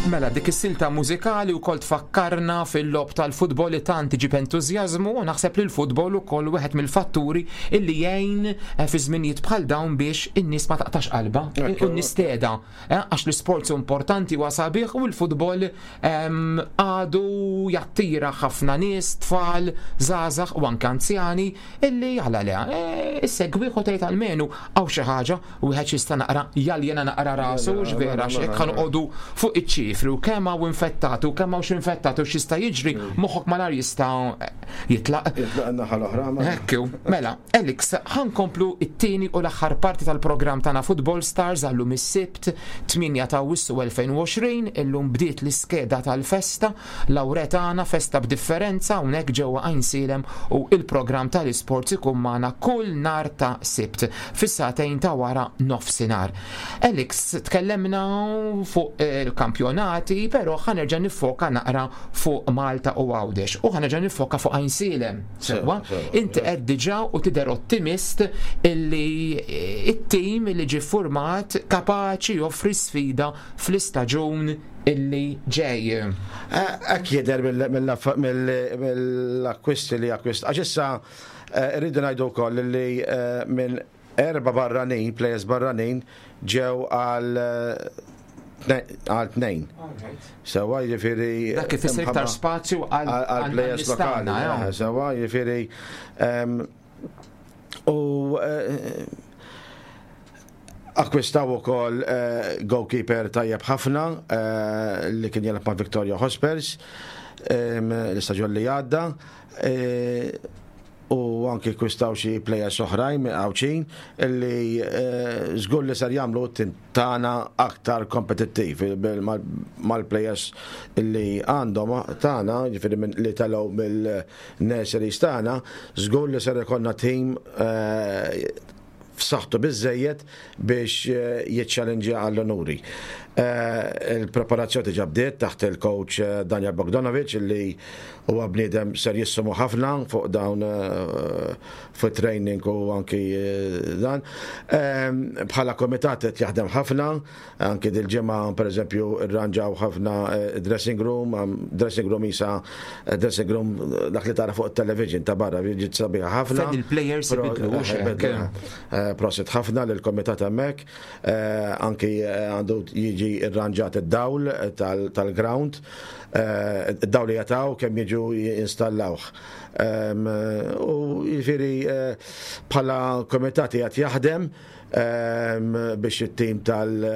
Mela, dik is-silta mużikali wkoll tfakkarna fil-logħob tal-futbol li tant iġib entużjażmu, u naħseb li l-futbol ukoll wieħed mill-fatturi illi jgħin eh, fi żminijiet bħal dawn biex in-nies ma taqtax qalba u n-nies teda, eh, għax l-isports importanti u sabiħ u l-futbol ehm, għadu jattira ħafna nies, tfal, żgħażagħ u anke anzjani illi għala le, eh, issegwi u tgħid almenu hawn xi ħaġa u wieħed jista' naqra jaljena naqra rasu x'vera x'hekk ħa noqogħdu fuq iċ-ċifri u kemm hawn infettati u kemm hawn x'infettati u x'jista' jiġri, moħħok malar jista' jitlaq. Jitlaq in-naħa l-oħra. ma- Ekku, mela, Alex, ħa nkomplu it-tieni u l-aħħar parti tal-programm tagħna Football Stars għallum is-Sibt tmienja ta' Awwissu elfejn u għoxrin. Illum bdiet l-iskeda tal-festa Lawretana, festa b'differenza hawnhekk ġewwa Għajnsielem, u il-programm tal-isports ikun magħna kull nhar ta' Sibt fis-sagħtejn ta' wara nofsinhar. Alex, tkellemna fuq il-kampjonati, però ħa nerġa' niffoka naqra fuq Malta u Għawdex u ħa nerġa' niffoka fuq Għajnsielem. Sewwa, Sewa, inti qed diġà u tidher ottimist illi it-tim illi ġie format kapaċi joffri sfida fl-istaġun illi ġej. Hekk jidher mill-akkwisti li akkwist. Għax issa eh, rridu ngħidu wkoll li eh, minn erba barranin, players barranin, ġew għal eh, għal tnejn. Sewwa, jiġifieri. Dak kif ifisser iktar spazju għal għal players lokali. Għal eh, Sewwa, jiġifieri. em, U eh, akkwistaw ukoll eh, goalkeeper tajjeb ħafna eh, li kien jelgħab ma' Victoria Hotspurs em, l-istaġun li għadda. eh, U anki akkwistaw xi players oħrajn minn Għawdxin illi eh, żgur li ser jagħmlu t-tim tagħna aktar kompetittiv bil- mal- mal-players illi għandhom tagħna, jiġifieri minn- li telgħu mill-nurseries tagħna, żgur li ser ikollna tim eh, f'saħħtu biżejjed biex eh, jiċċallenġja għall-onuri. Eh, Il-preparazzjoni diġà bdiet taħt il-coach eh, Daniel Bogdanovic, illi huwa bniedem serjissimu ħafna fuq dawn eh, fuq training u anki eh, dan. Ehm, Bħala komitat qed jaħdem ħafna, anki dil-ġimgħa pereżempju irranġaw ħafna eh, dressing room, am- dressing room isa eh, dressing room eh, dak li tara fuq il-television ta' barra, ġiet sabiħa ħafna. Fejn il-players Pro- ibidlu, eh, hux hekk? ibidlu, eh, Prosit ħafna lill-komitat hemmhekk, eh, anki eh, għandu jiġi irranġat id-dawl tal- tal-ground, eh, id-dawl li jataw kemm jiġu jinstallawh. Em, U jiġifieri eh, bħala komitat qed jaħdem em, biex it-tim tal-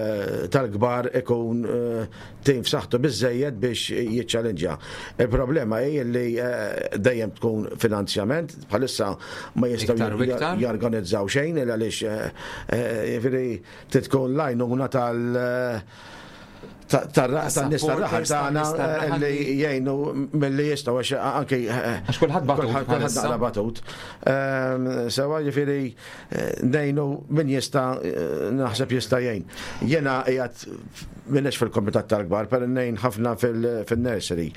tal-kbar ikun eh, tim f'saħħtu biżejjed biex jiċċallenġja. Il-problema hi li eh, dejjem tkun finanzjament, bħalissa ma jistgħu Iktar u iktar. jorganizzaw xejn il għaliex eh, eh, jiġifieri tkun l-għajnuna tal- tan-nies tar-raħal supporters, tagħna tan-nies tar-raħal eh, li li- jgħinu milli jistgħu, għax anki eh, Għax kulħadd batut kulħadd kulħadd bħalissa. naqra batut. Ehm, Sewwa, jiġifieri eh, ngħinu min jista', eh, naħseb jista' jgħin. Jiena qiegħed m'iniex fil-komitat tal-kbar, però ngħin ħafna fil-nursery.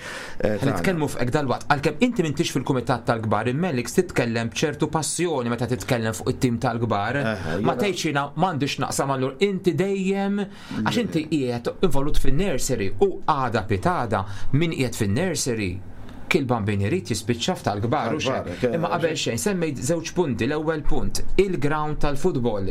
eh, Ħa nitkellmu fuq dal-waqt, għalkemm inti m'intix fil-kumitat tal-kbar, imma titkellem b'ċertu passjoni meta titkellem fuq it-tim tal-kbar. Eħe, Ma jiena- tgħidx jiena m'għandix naqsam, allur inti dejjem, għax inti qiegħed involut fin-nursery u għada pitgħada min qiegħed fin-nursery kil bambin irid jispiċċa tal-kbar u Tal-kbar, xejn. ke- Imma qabel xejn semmejt żewġ punti. L-ewwel punt, il-ground tal-futbol.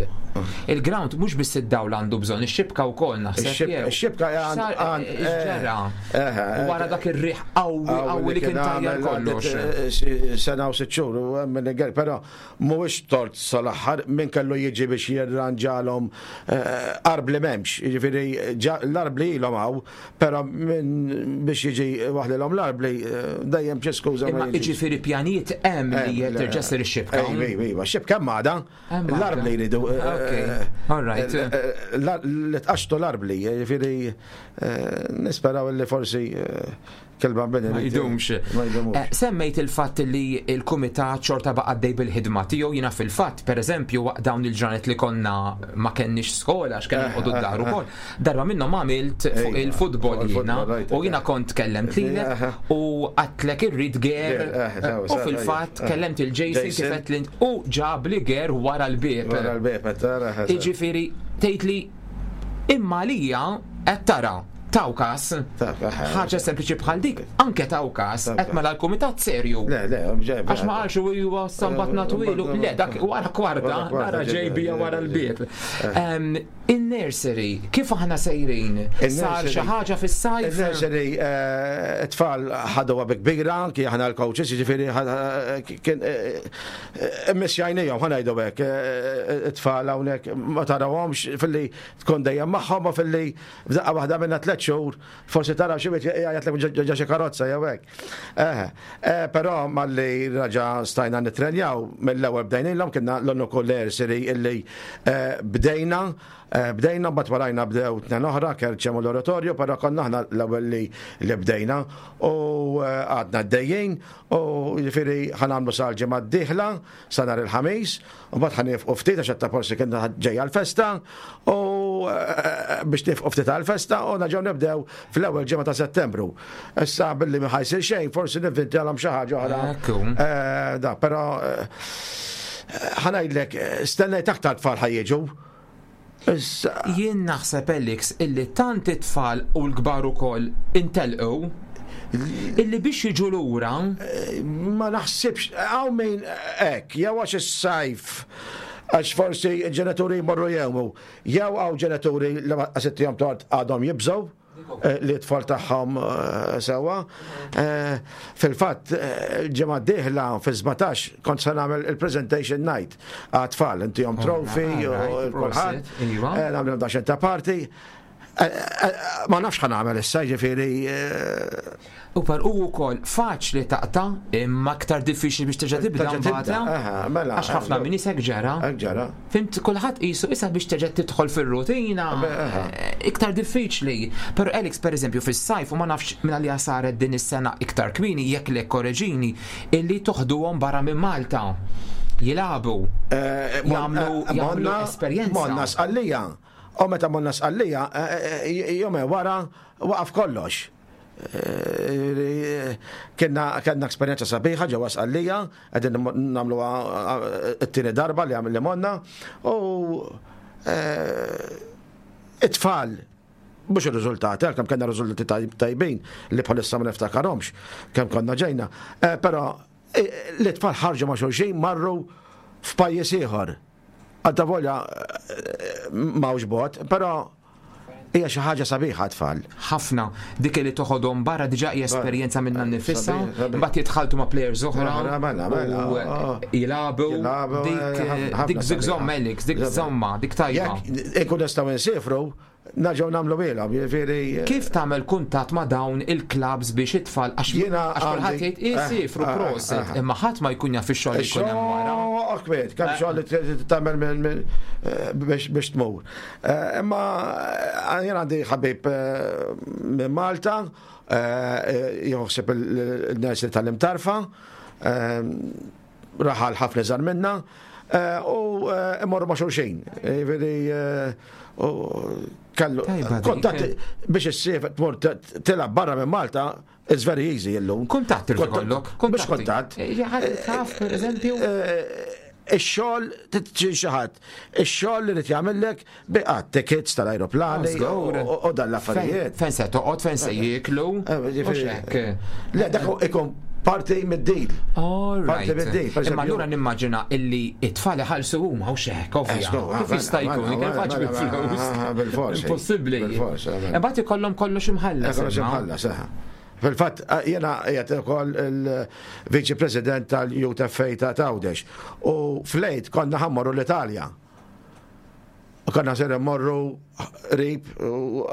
Il-ground mhux biss id-dawl għandu bżonn, ix-xibka wkoll naħseb Ix-xib- jew. Ix-xibka għand- Sar- għand- ġara. eh, eh, Wara dak ir-riħ qawwi qawwi li kien tajjar kollox. eh, Sena u sitt xhur u hemm min iger, però mhuwiex tort sal-aħħar min kellu jiġi biex jirranġalhom eh, arbli m'hemmx, jiġifieri ġa- l-arbli ilhom hawn, però min biex jiġi waħdilhom l-arbli eh, dejjem xi skuża ma Imma jiġix. jiġifieri pjanijiet hemm li Eh, terġa' ssir ix-xibka. Ejwa, ejwa, ejwa, xibka hemm għada, Hemm għada. l-arbli jridu. eh, Ok, eh, all right. eh, eh, l- Li tqaxtu l-arbli, jiġifieri eh, nisperaw li forsi eh, kelba bini. Ma jdumx. Ma jdumux. Eh, Semmejt il-fatt li il-kumitat xorta baqa' għaddej bil-ħidma tiegħu. Jiena fil-fatt, pereżempju, waqt dawn il-ġranet li konna ma kenniex skola għax kellna noqogħdu d-dar ukoll. Darba minnhom għamilt fuq Ejwa, il-futbol fuq jiena il-futbol, right, u jiena kont kellemt lilek Aha. u għedtlek irrid ger Ger, eh, sewa, u sewa, fil-fatt eh. kellemt il-Jason Jason. kif qed lint u ġab li ger wara l-bieb. Wara l-bieb, tara. Iġifieri tgħid li imma lija qed tara Taw kas. Taw, eh, Ħaġa sempliċi bħal dik, anke taw kas, Taw qed kas. mela l-kumitat serju. Le, le, ġej. Għax ma qalx u huwa sambatna twilu, le, dak wara kwarta, Wara kwarta, nara ġej bija wara l-bieb. Eh. Em, In-nursery, kif aħna sejrin? Sar In-nursery- xi ħaġa fis-sajf? Il-nursery, eh, it-tfal ħaduha bi kbira, ki aħna l-coaches, ġifieri kien missjajnijom, ħa ngħidu hekk, eh, it-tfal hawnhekk ma tarawhomx filli tkun dejjem magħhom u filli f'daqqa waħda minna tliet xhur, forsi taraw xi wieħed jgħajjatlek ġa xi karozza jew hekk. Eh, eh, Però malli raġa stajna nitrenjaw mill-ewwel bdejnilhom kienna l-unika nursery illi eh, bdejna Eh, Bdejna, bat warajna bdew tnejn oħra, Kerċem u l-oratorju, però konna aħna l-ewwel li li bdejna u eh, għadna d-dejjin u jiġifieri ħa nagħmlu sal-ġimgħa d-dieħla sa nhar il-ħamis u mbagħad ħa nieqfu ftit għax ta' forsi kienna ġejja l-festa u eh, biex nieqfu ftit għal-festa u nerġgħu nibdew fl-ewwel ġimgħa ta' Settembru. Issa billi ma ħa jsir xejn, forsi nivvintalhom xi ħaġa oħra. Ekku. Eh, Da, però eh, ħa ngħidlek, eh, stennejt aktar tfal ħa jiġu. Issa, Jien naħseb Alex illi tant it-tfal u l-kbar ukoll intelqu illi biex jiġu lura ma naħsibx, hawn min hekk, jew għax is-sajf, għax forsi ġenituri jmorru jgħumu, jew hawn ġenituri li ma sittihom tort għadhom jibżgħu eh, li t-tfal tagħhom eh, sewa. Eh, Fil-fatt, eh, ġimgħa d-dieħla fi sbatax kont se nagħmel il-presentation night għat-tfal, intihom trophy u alright, kulħadd. prosit, iva. Eh, Nagħmlu daqsxejn ta' party. Eh, eh, Ma nafx ħa nagħmel issa, ġifieri eh, U par u wkoll faċli taqta' imma aktar diffiċli biex terġa' tibda Terġa' tibda, mbagħad. aha, mela, Għax ħafna eh, minn isek ġara. hekk ġara. Fhimt, kulħadd qisu issa biex terġa' tidħol fir-rutina aha. eh, iktar diffiċli. Però Alex pereżempju fis-sajf u ma nafx minn għalija saret din is-sena iktar kmieni jekk le korreġini illi toħduhom barra minn Malta. Jilagħbu. Eh, mon- Jagħmlu eh, jagħmlu monna- esperjenza. Monna Sqallija. U meta monna Sqallija, eh, eh, jumejn wara waqaf kollox. Eh, Kienna kellna esperjenza sabiħa ġewwa Sqallija, qegħdin nagħmluha t-tieni darba li għamil li monna u eh, it-tfal mhux ir-riżultati, għalkemm kellna riżultati taj- tajbin li bħalissa ma niftakarhomx kemm konna ġejna, Eh, però eh, l-tfal ħarġu ma' xulxin marru f'pajjiż ieħor. Għadda volja m'hawnx bogħod, però hija xi ħaġa sabiħa tfal. Ħafna dik li toħodhom barra diġà hija esperjenza minnha nnifisha, Sabiħ, sabiħ. mbagħad jitħaltu ma' players oħra Oħra, mela, mela, u oh. jilagħbu Jilagħbu, dik eh, ħafna- ħafna dik zik sabiħa. żomm Alex, dik żomma, dik tajba. Jekk ikun nistgħu nsifru, nerġgħu nagħmlu ilhom, jiġifieri. Kif tagħmel kuntatt ma' dawn il-clubs biex it-tfal għax Jiena għax kulħadd għandi- jgħid isifru eh, eh, prosit, eh. imma ħadd ma jkun jaf ix-xogħol li jkun hemm wara. Akbet, kemm xogħol li tagħmel minn- minn- eh, biex biex tmur. Eh, Imma eh, jien għandi ħabib eh, minn Malta, eh, joħseb il-nies li tal-Imtarfa, eh, raħal ħafna iżgħar minna, eh, u eh, imorru ma' xulxin. Jiġifieri, eh, u kellu Tajba dik. kuntatt biex issif tmur tilgħab barra minn Malta, it's very easy illum. Kuntatt irid ikollok, Mhux kuntatt. Eh, ħadd taf pereżempju. Ix-xogħol xi ħadd, ix-xogħol li rid jagħmellek biqa' tickets tal-ajruplani Żgur. u u dan l-affarijiet. Fejn se toqgħod, fejn se jieklu. Eh, ġifieri- u x'hekk. Le, dak ikun parti mid-deal. All Parti right. mid-deal, per Imma eżempju- allura nimmaġina illi it-tfal iħallsu huma u x'hekk, ovvja. Eh, żgur, Kif mela, jista' jkun? mela, Kif mela, faċ mela, bil-flus? mela, bil-forsi. Impossibbli. Bil-forsi, mela. Imbagħad ikollhom kollox imħallas. Kollox imma. imħallas, eh. Fil-fatt, jena qiegħed ukoll il-Viċi President tal-Youth F A ta' Għawdex. U fl-Għid konna ħa mmorru l-Italja. U konna ser mmorru rib, u,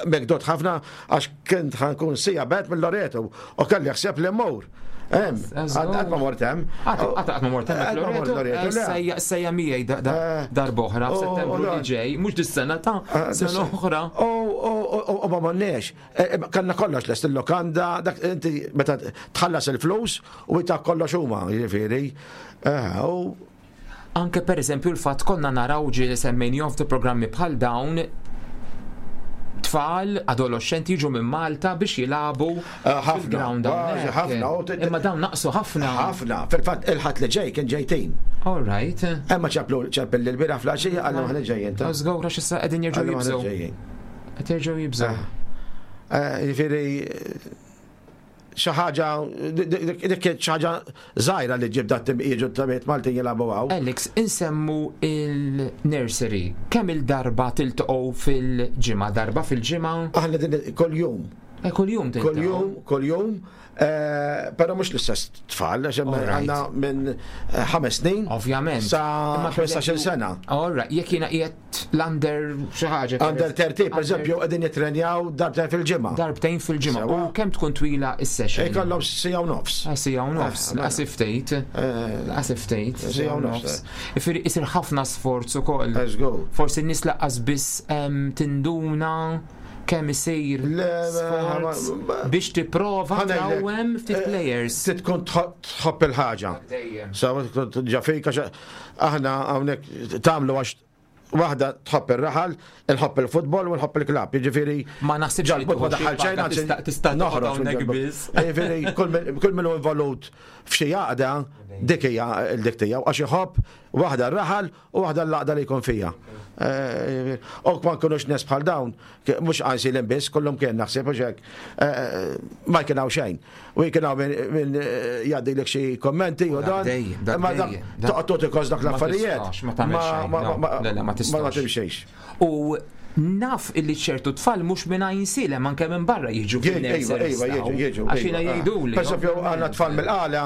mekdot ħafna, għax kint ħa nkun sija bet mill-Loreto. U kelli ħsieb li mmur. Hemm, Żgur. qatt ma mort hemm. Qatt qatt ma mort hemmhekk Qatt ma mort Loreto. Loreto, le. Eh, Sejja miegħi da- da- Eh, darb'oħra u- f'Settembru u li dan. ġej, mhux dis-sena ta' Eh, sena oħra. U u- u ma morniex. Eh, Kellna kollox lest il-lokanda, dak inti meta tħallas il-flus u ta' kollox huma, jiġifieri. Eh, U Anke per eżempju l-fatt konna naraw ġieli semmejnihom f'ti programmi bħal dawn tfal, adolescenti jiġu minn Malta biex jilagħbu Eh, ħafna, fil-ground kważi hawnhekk. ħafna, u t- Imma dawn naqsu ħafna. ħafna. Fil-fatt il-Ħadd li ġej kien ġej team. All right. Emma ċemplu ċempel l-bieraħ filgħaxija għallu ħana ġejjin ta' Żgur għax issa qegħdin jerġgħu Għallu ħana jibżgħu. ġejjin. Qed jerġgħu jibżgħu. Ah. Eh, Jiġifieri xi ħaġa dik kienet xi ħaġa żgħira li ġib dat jiġu timijiet Maltin jilagħbu hawn. Alex, insemmu il-nursery. Kemm il-darba tiltaqgħu fil-ġimgħa? Darba fil-ġimgħa? Aħna din kull-jum. Eh, kull-jum tiltaqgħu. Kull-jum, kull-jum, eh, però mhux l-istess tfal, għax hemm Alright. għandna minn eh, ħames snin Ovvjament. sa Imma per ħmistax-il eżempju- sena. Alright, jekk jiena qiegħed l-under xi ħaġa. Under tlettax, per eżempju, qegħdin jitrenjaw darbtejn fil-ġimgħa. Darbtejn fil-ġimgħa. Sewa. U kemm tkun twila is-session? Ikollhom siegħa u nofs. Ah, Siegħa u nofs, Eh, mela. laqas ftit. Laqas ftit. Siegħa u nofs. Ifiri isir ħafna sforz ukoll. Let's go. Forsi n-nies lanqas biss em, tinduna kemm isir Le, sforz ma- biex tipprova Ħa ngħidlek, trawwem ftit eh, players. Trid tkun tħobb il-ħaġa. Dejjem. Sa tkun ġa fik għax aħna hawnhekk tagħmlu għax waħda tħobb ir-raħal, inħobb il-futbol u nħobb il-klabb. Jiġifieri Ma naħsibx li ġalbut ma tieħu xi daħal xejn, paga, anzi, tista' tista' toqgħod noħroġ hawnhekk mill-ġalbut. biss. Jiġifieri kull min- kull min hu involut f'xi għaqda dik hija l-dik tiegħu għax iħobb waħda r-raħal u waħda l-għaqda li jkun fija. Eh, U ma nkunux nies bħal dawn, mhux Għajnsielem biss, kullum kien naħseb u hekk, eh, ma kien hawn xejn. U kien hawn min min, eh, jgħaddilek xi kommenti u Dak dan. dejjem, dak Imma dak dejjem, dak- toqgħod tagħti kos dak Ma l-affarijiet. tistax, ma tagħmel xejn, ma- no. ma- Le, le, ma tistax. Ma timxejx. U naf illi ċertu tfal mhux minn Għajnsielem anke minn barra jiġu Iva, fil-nursery iva, jiġu, jiġu. Għax jiena iva. jgħiduli. Per esempio, għandna tfal mill-Qala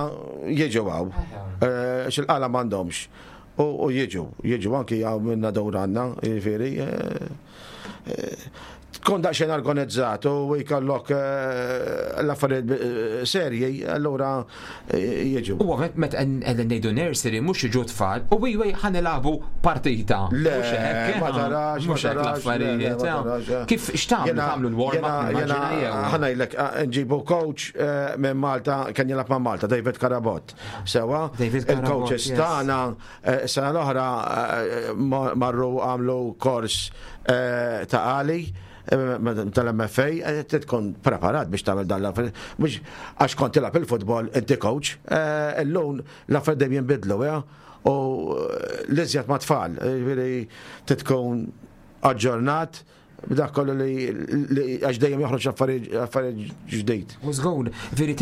jiġu hawn. Eh, Xil-Qala m'għandhomx. U u jiġu, jiġu anki hawn minna dawr għandna, jiġifieri. eh, eh, Tkun daqsxejn organizzat u jkollok eh, l-affarijiet eh, serji, allura eh, jiġu. U għamet met qegħdin ngħidu nursery mhux jiġu tfal u wi wi ħa nilagħbu partita. Le, Mhux hekk, ma eh, tarax, ma mhux hekk tarax. le, le, ma l-affarijiet. tarax, eh. Kif x'tagħmlu Jena- tagħmlu l-warm up jena- nimmaġina jena- jew. Ħa ngħidlek, eh, nġibu coach eh, minn Malta, kien jilgħab ma' Malta, David Karabot. Sewa, David Karabot, il-coaches yes. tagħna eh, sena l-oħra eh, ma- marru għamlu kors eh, ta' għali eh, tal-M F A, eh, trid tkun preparat biex tagħmel dan l-affarijiet. Mhux għax kont tilgħab il-futbol inti coach, eh, illum l-affarijiet dejjem jinbidlu, ja? U eh, l-iżjed ma' tfal, eh, ġifieri trid tkun aġġornat b'dak kollu li li- għax dejjem joħroġ affarijiet affarijiet ġdid. U żgur, veri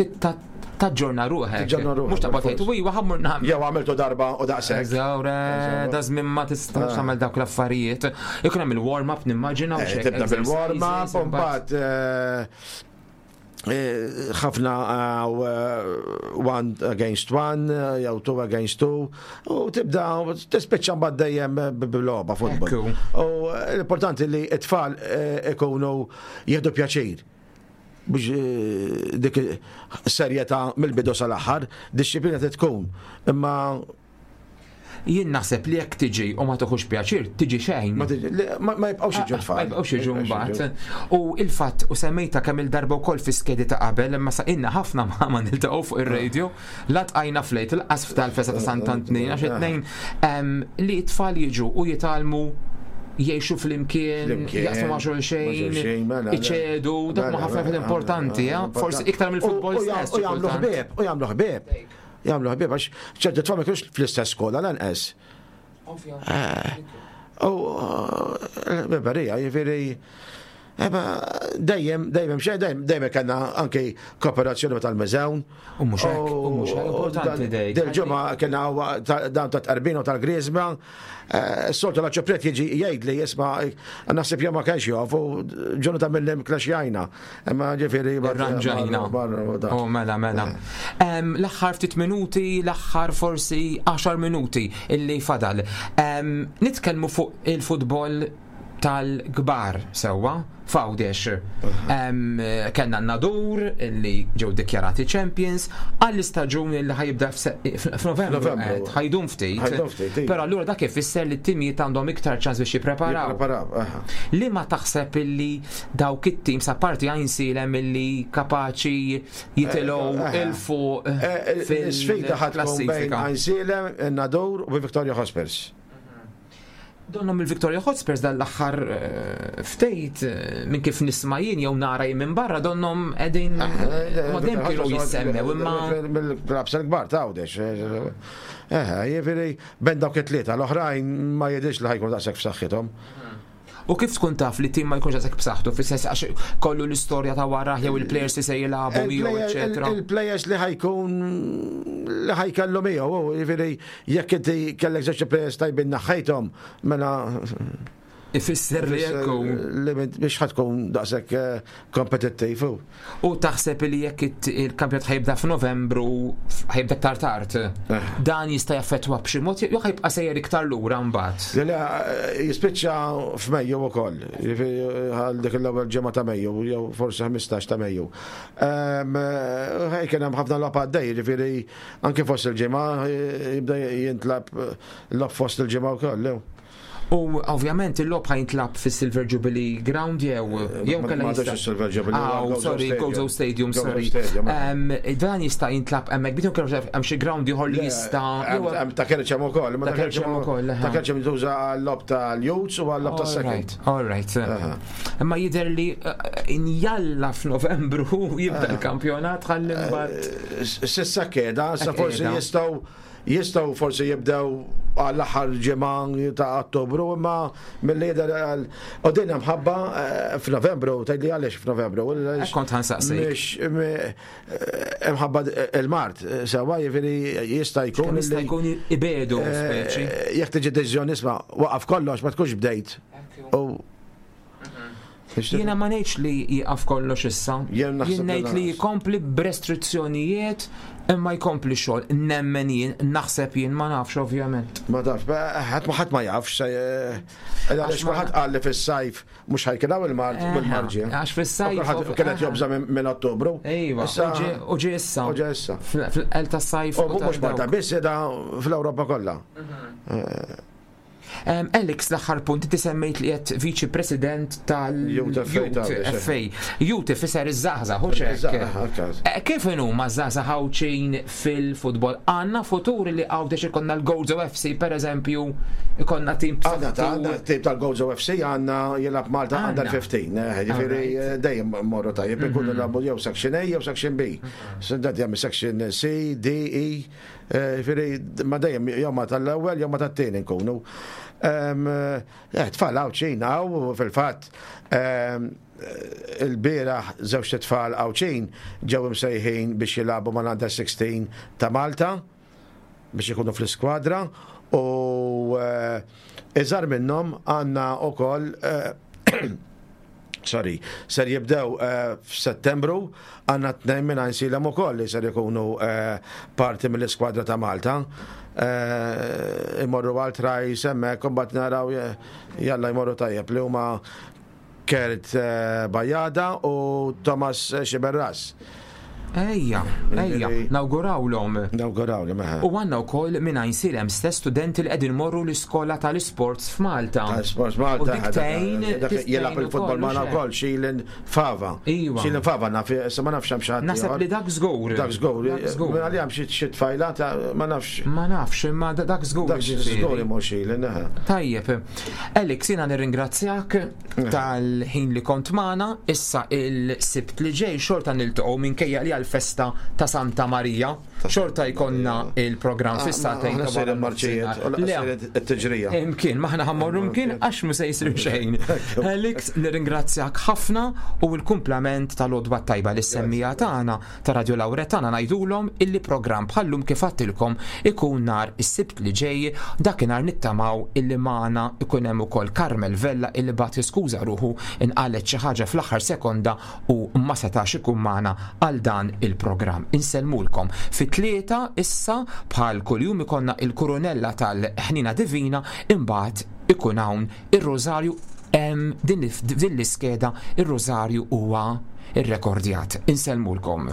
taġġorna ruħek. Taġġorna ruħek, Mhux taqbad tgħid, wi ħa mmur nagħmel. Jew għamiltu darba u daqshekk. Zawra, da żmien ma tistax tagħmel dawk l-affarijiet. Ikun hemm il-warm up nimmaġina u Eh, xek. Tibda bil-warm up u mbagħad eh, eh, ħafna eh, one against one, eh, jew two against two, u tibda tispiċċa mbagħad dejjem bil-logħba futbol. Ekku. U eh, l-importanti li t-tfal eh, ikunu jieħdu pjaċir biex eh, dik serjetà mill-bidu sal-aħħar, dixxiplina tkun. Imma Jien naħseb li jekk tiġi u ma toħux pjaċir, tiġi xejn. ma tiġi- le, ma ma jibqgħux jiġu tfal. Ma jibqgħux jiġu mbagħad. U il-fatt u semmejta kemm il-darba wkoll fi skedi ta' qabel, imma sa inna ħafna ma ma niltaqgħu fuq ir-radio, la tqajna flejt il-qasf tal-festa ta' Sant'Antnin għax it-tnejn em, li t-tfal jiġu u jitgħallmu jgħixu flimkien, Flimkien, jaqsmu ma' ma' xulxejn, xulxejn, mela, iċedu, dak ma mela, ħafna mela, importanti, mela, ja? Forsi iktar mill-futbol U- u jam- stess. U xi jagħmlu kultant. ħbieb, u jagħmlu ħbieb. Jagħmlu ħbieb għax ċerti tfal ma jkunux fl-istess skola lanqas. U ħbiberija, jiġifieri Eba, dejjem, dejjem, xejn, dejjem, dejjem kellna anki kooperazzjoni ma tal-Mużewn. U mhux hekk, u mhux hekk, importanti dejk. Dil-ġimgħa kellna dan ta' Tqarbin u tal-Griżma. Soltu l-arċipriet jiġi jgħid li jisma' naħseb jew ma kienx jof u ġonu ta' mill-lim klaxjajna. Imma ġifieri Irranġajna. Oh, mela, mela. Em, L-aħħar ftit minuti, l-aħħar forsi għaxar minuti illi fadal. Em, Nitkellmu fuq il-futbol tal-kbar sewwa f'Għawdex. Em, Kellna Nadur illi ġew dikjarati champions għall-istaġun illi ħa jibda f'se- f'Novembru. Novembru. qed, Ħa jdum ftit. Ħa jdum ftit, iva. Però allura dak ifisser li t-timijiet għandhom iktar ċans biex jippreparaw. Jippreparaw, aha. Li ma taħseb illi dawk it-tim sa parti Għajnsielem illi kapaċi jitilgħu Eh, eh, 'il fuq Eh, Sfida ħa tkun bejn fil-klassifika. Għajnsielem, Nadur u Victoria Hotspurs. Donnom il-Victoria Hotspurs dal-aħħar eh, ftejt eh, minn kif nisma' jien jew nara jien minn barra donnom qegħdin ma dejjem kienu jissemmew imma Mill-klabbs il-kbar ta' Għawdex. Eh, jiġifieri, bejn dawk it-tlieta, l-oħrajn ma jidhirx li ħa jkunu daqshekk f'saħħithom. U kif tkun taf li tim ma jkunx għazek b'saħħtu, fis-sens għax kollu l-istorja ta' wara jew il-players li se jilagħbu miegħu, eċetera? Il-players li ħa jkun li ħa jkollu miegħu, jiġifieri jekk inti kellek żewġ players tajbin neħħejthom, mela Ifisser li jekk li biex ħa tkun daqshekk eh, kompetittiv. U taħseb li jekk il-kampjonat ħa jibda f'Novembru, ħa jibda iktar tard, Eh. dan jista' jaffettwa b'xi mod jew ħa jibqa' sejjer iktar lura mbagħad? Le, le, jispiċċa f'Mejju ukoll, jiġifieri għal dik l-ewwel ġimgħa ta' Mejju, jew forsi ħmistax ta' Mejju. Ħaj kien hemm ħafna logħob għaddej, jiġifieri anke fost il-ġimgħa jibda jintlagħab logħob fost il-ġimgħa wkoll. Jew. U ovvjament il-logħob ħa jintlagħab fis-Silver Jubilee Ground jew jew Ma- kellha ma għadux jista' is-Silver Jubilee, Ah, huwa Gozo sorry, Stadium. Gozo Stadium, Gozo sorry. Stadium, Em, Dan jista' jintlagħab hemmhekk, bidu kellu hemm xi ground ieħor li jista' jew- Hemm ta' Kerċem ukoll, ma Ta' Kerċem ukoll, aha. Ta' Kerċem jintuża għal-logħob tal-Youths u għal-logħob tas-second. All right. Imma jidher li eh, injalla f'Novembru jibda l-kampjonat ħalli mbagħad. S'issa keda, sa Hekk forsi qiegħda. jistgħu jistgħu forsi jibdew għall-aħħar ġimgħa ta' Ottobru, imma mill-li jidher għal u din mħabba eh, f'Novembru, tgħidli għaliex f'Novembru. Hekk kont ħa nsaqsik. Mhix me- imħabba il-mard, sewwa, jiġifieri jista' jkun Kemm jista' li- jkun ibedu speċi. eh, jekk tiġi deċiżjoni, isma', waqaf kollox, ma tkunx bdejt. U Jiena ma ngħidx li jieqaf kollox issa. Jien naħseb Jien ngħid li li lanqas. jkompli b'restrizzjonijiet imma jkompli xogħol. Nemmen jien, naħseb jien, ma nafx ovvjament. Ma taf, ħadd ma ħadd ma jafx, eh, għaliex ma- kulħadd qal li fis-sajf mhux ħa jkun hawn il-mard Eħe, bil-marġi. għax fis-sajf- Kulħadd kienet jobża minn minn Ottobru. Ejwa, Issa- u ġie- u ġie issa. U ġie issa. Fil-qel tas-sajf. U mhux Malta biss, qiegħda fl-Ewropa kollha. Um, Alex, l-aħħar punt, inti semmejt li qed viċi president Youth F A tal-Youth ta' F A. Youth ifisser iż-żgħażagħ, hux hekk? Iż-żgħażagħ, hekk. Eh, Kif huma żgħażagħ Għawdxin fil-futbol? Għandna futur li Għawdex ikollna l-Gozo F C per eżempju, ikollna tim Għandna ta' għandna tim tal-Gozo F C, għandna jilgħab Malta Għandna. under fifteen, eh, jiġifieri eh, dejjem morru tajjeb, ikunu jilagħbu jew section A jew section B. Sindat jagħmel section C, D, E, eh, jiġifieri ma dejjem jew ma tal-ewwel jew ma tat-tieni nkunu. Em, eh, Tfal Għawdxin hawn fil-fatt em, il-bieraħ żewġ tfal Għawdxin ġew imsejħin biex jilagħbu mal-under sixteen ta' Malta biex ikunu fl-iskwadra u eh, iżgħar minnhom għandna ukoll eh, sorry, ser jibdew eh, f'Settembru, għandna tnejn minn Għajnsielem ukoll li ser ikunu eh, parti mill-iskwadra ta' Malta. Eh, imorru għal trials hemmhekk, u mbagħad naraw eh, jalla jmorru tajjeb, li huma Kert eh, Bajada u Thomas Xiberras. Ejja, ejja, nawgurawlhom. Nawguraw li meħa. U għandna wkoll minn Għajnsielem stess studenti li qegħdin morru l-iskola tal-isports f'Malta. Sports Malta. U dik tgħin Dak jilgħab il-futbol magħna wkoll, Xilin Fava. Iva. Xilin Fava naf, issa ma nafx hemm xi ħadd Naħseb ieħor. li dak żgur. Dak żgur. Dak żgur. Minn għalija hemm xi xi tfajla ta' ma nafx. Ma nafx, imma da- dak żgur. Dak ġifieri. żgur imur Xilin. eħe. Tajjeb, Alex, jiena nirringrazzjak tal-ħin li kont magħna. Issa il-Sibt li ġej xorta niltaqgħu minkejja li għal-festa ta' Santa Marija. Xorta jkollna il-programm fis-sagħtejn Aħna ta' sejrin wara marċijiet, nofsinhar. u Le, sejrin it-tiġrija. Imkien, maħna ħa mmorru mkien għax mu se jisir xejn. Alex, nirringrazzjak ħafna u l-kumplament tal-għodwa tajba li semmija tagħna ta' Radio Lauretana ngħidulhom illi programm bħallum kif għattilkom ikun nhar is-Sibt li ġej, dakinhar nittamaw illi magħna ikun hemm ukoll Carmel Vella illi bagħat jiskuża ruħu, inqalet xi ħaġa fl-aħħar sekonda u ma setax ikun magħna għal dan il-programm. Insellmulkom. Fit-tlieta issa bħal kuljum ikollna il-kurunella tal-ħnina divina, imbagħad ikun hawn ir-Rożarju em, din din l-iskeda ir-Rożarju huwa irrekordjat. Insellmulkom.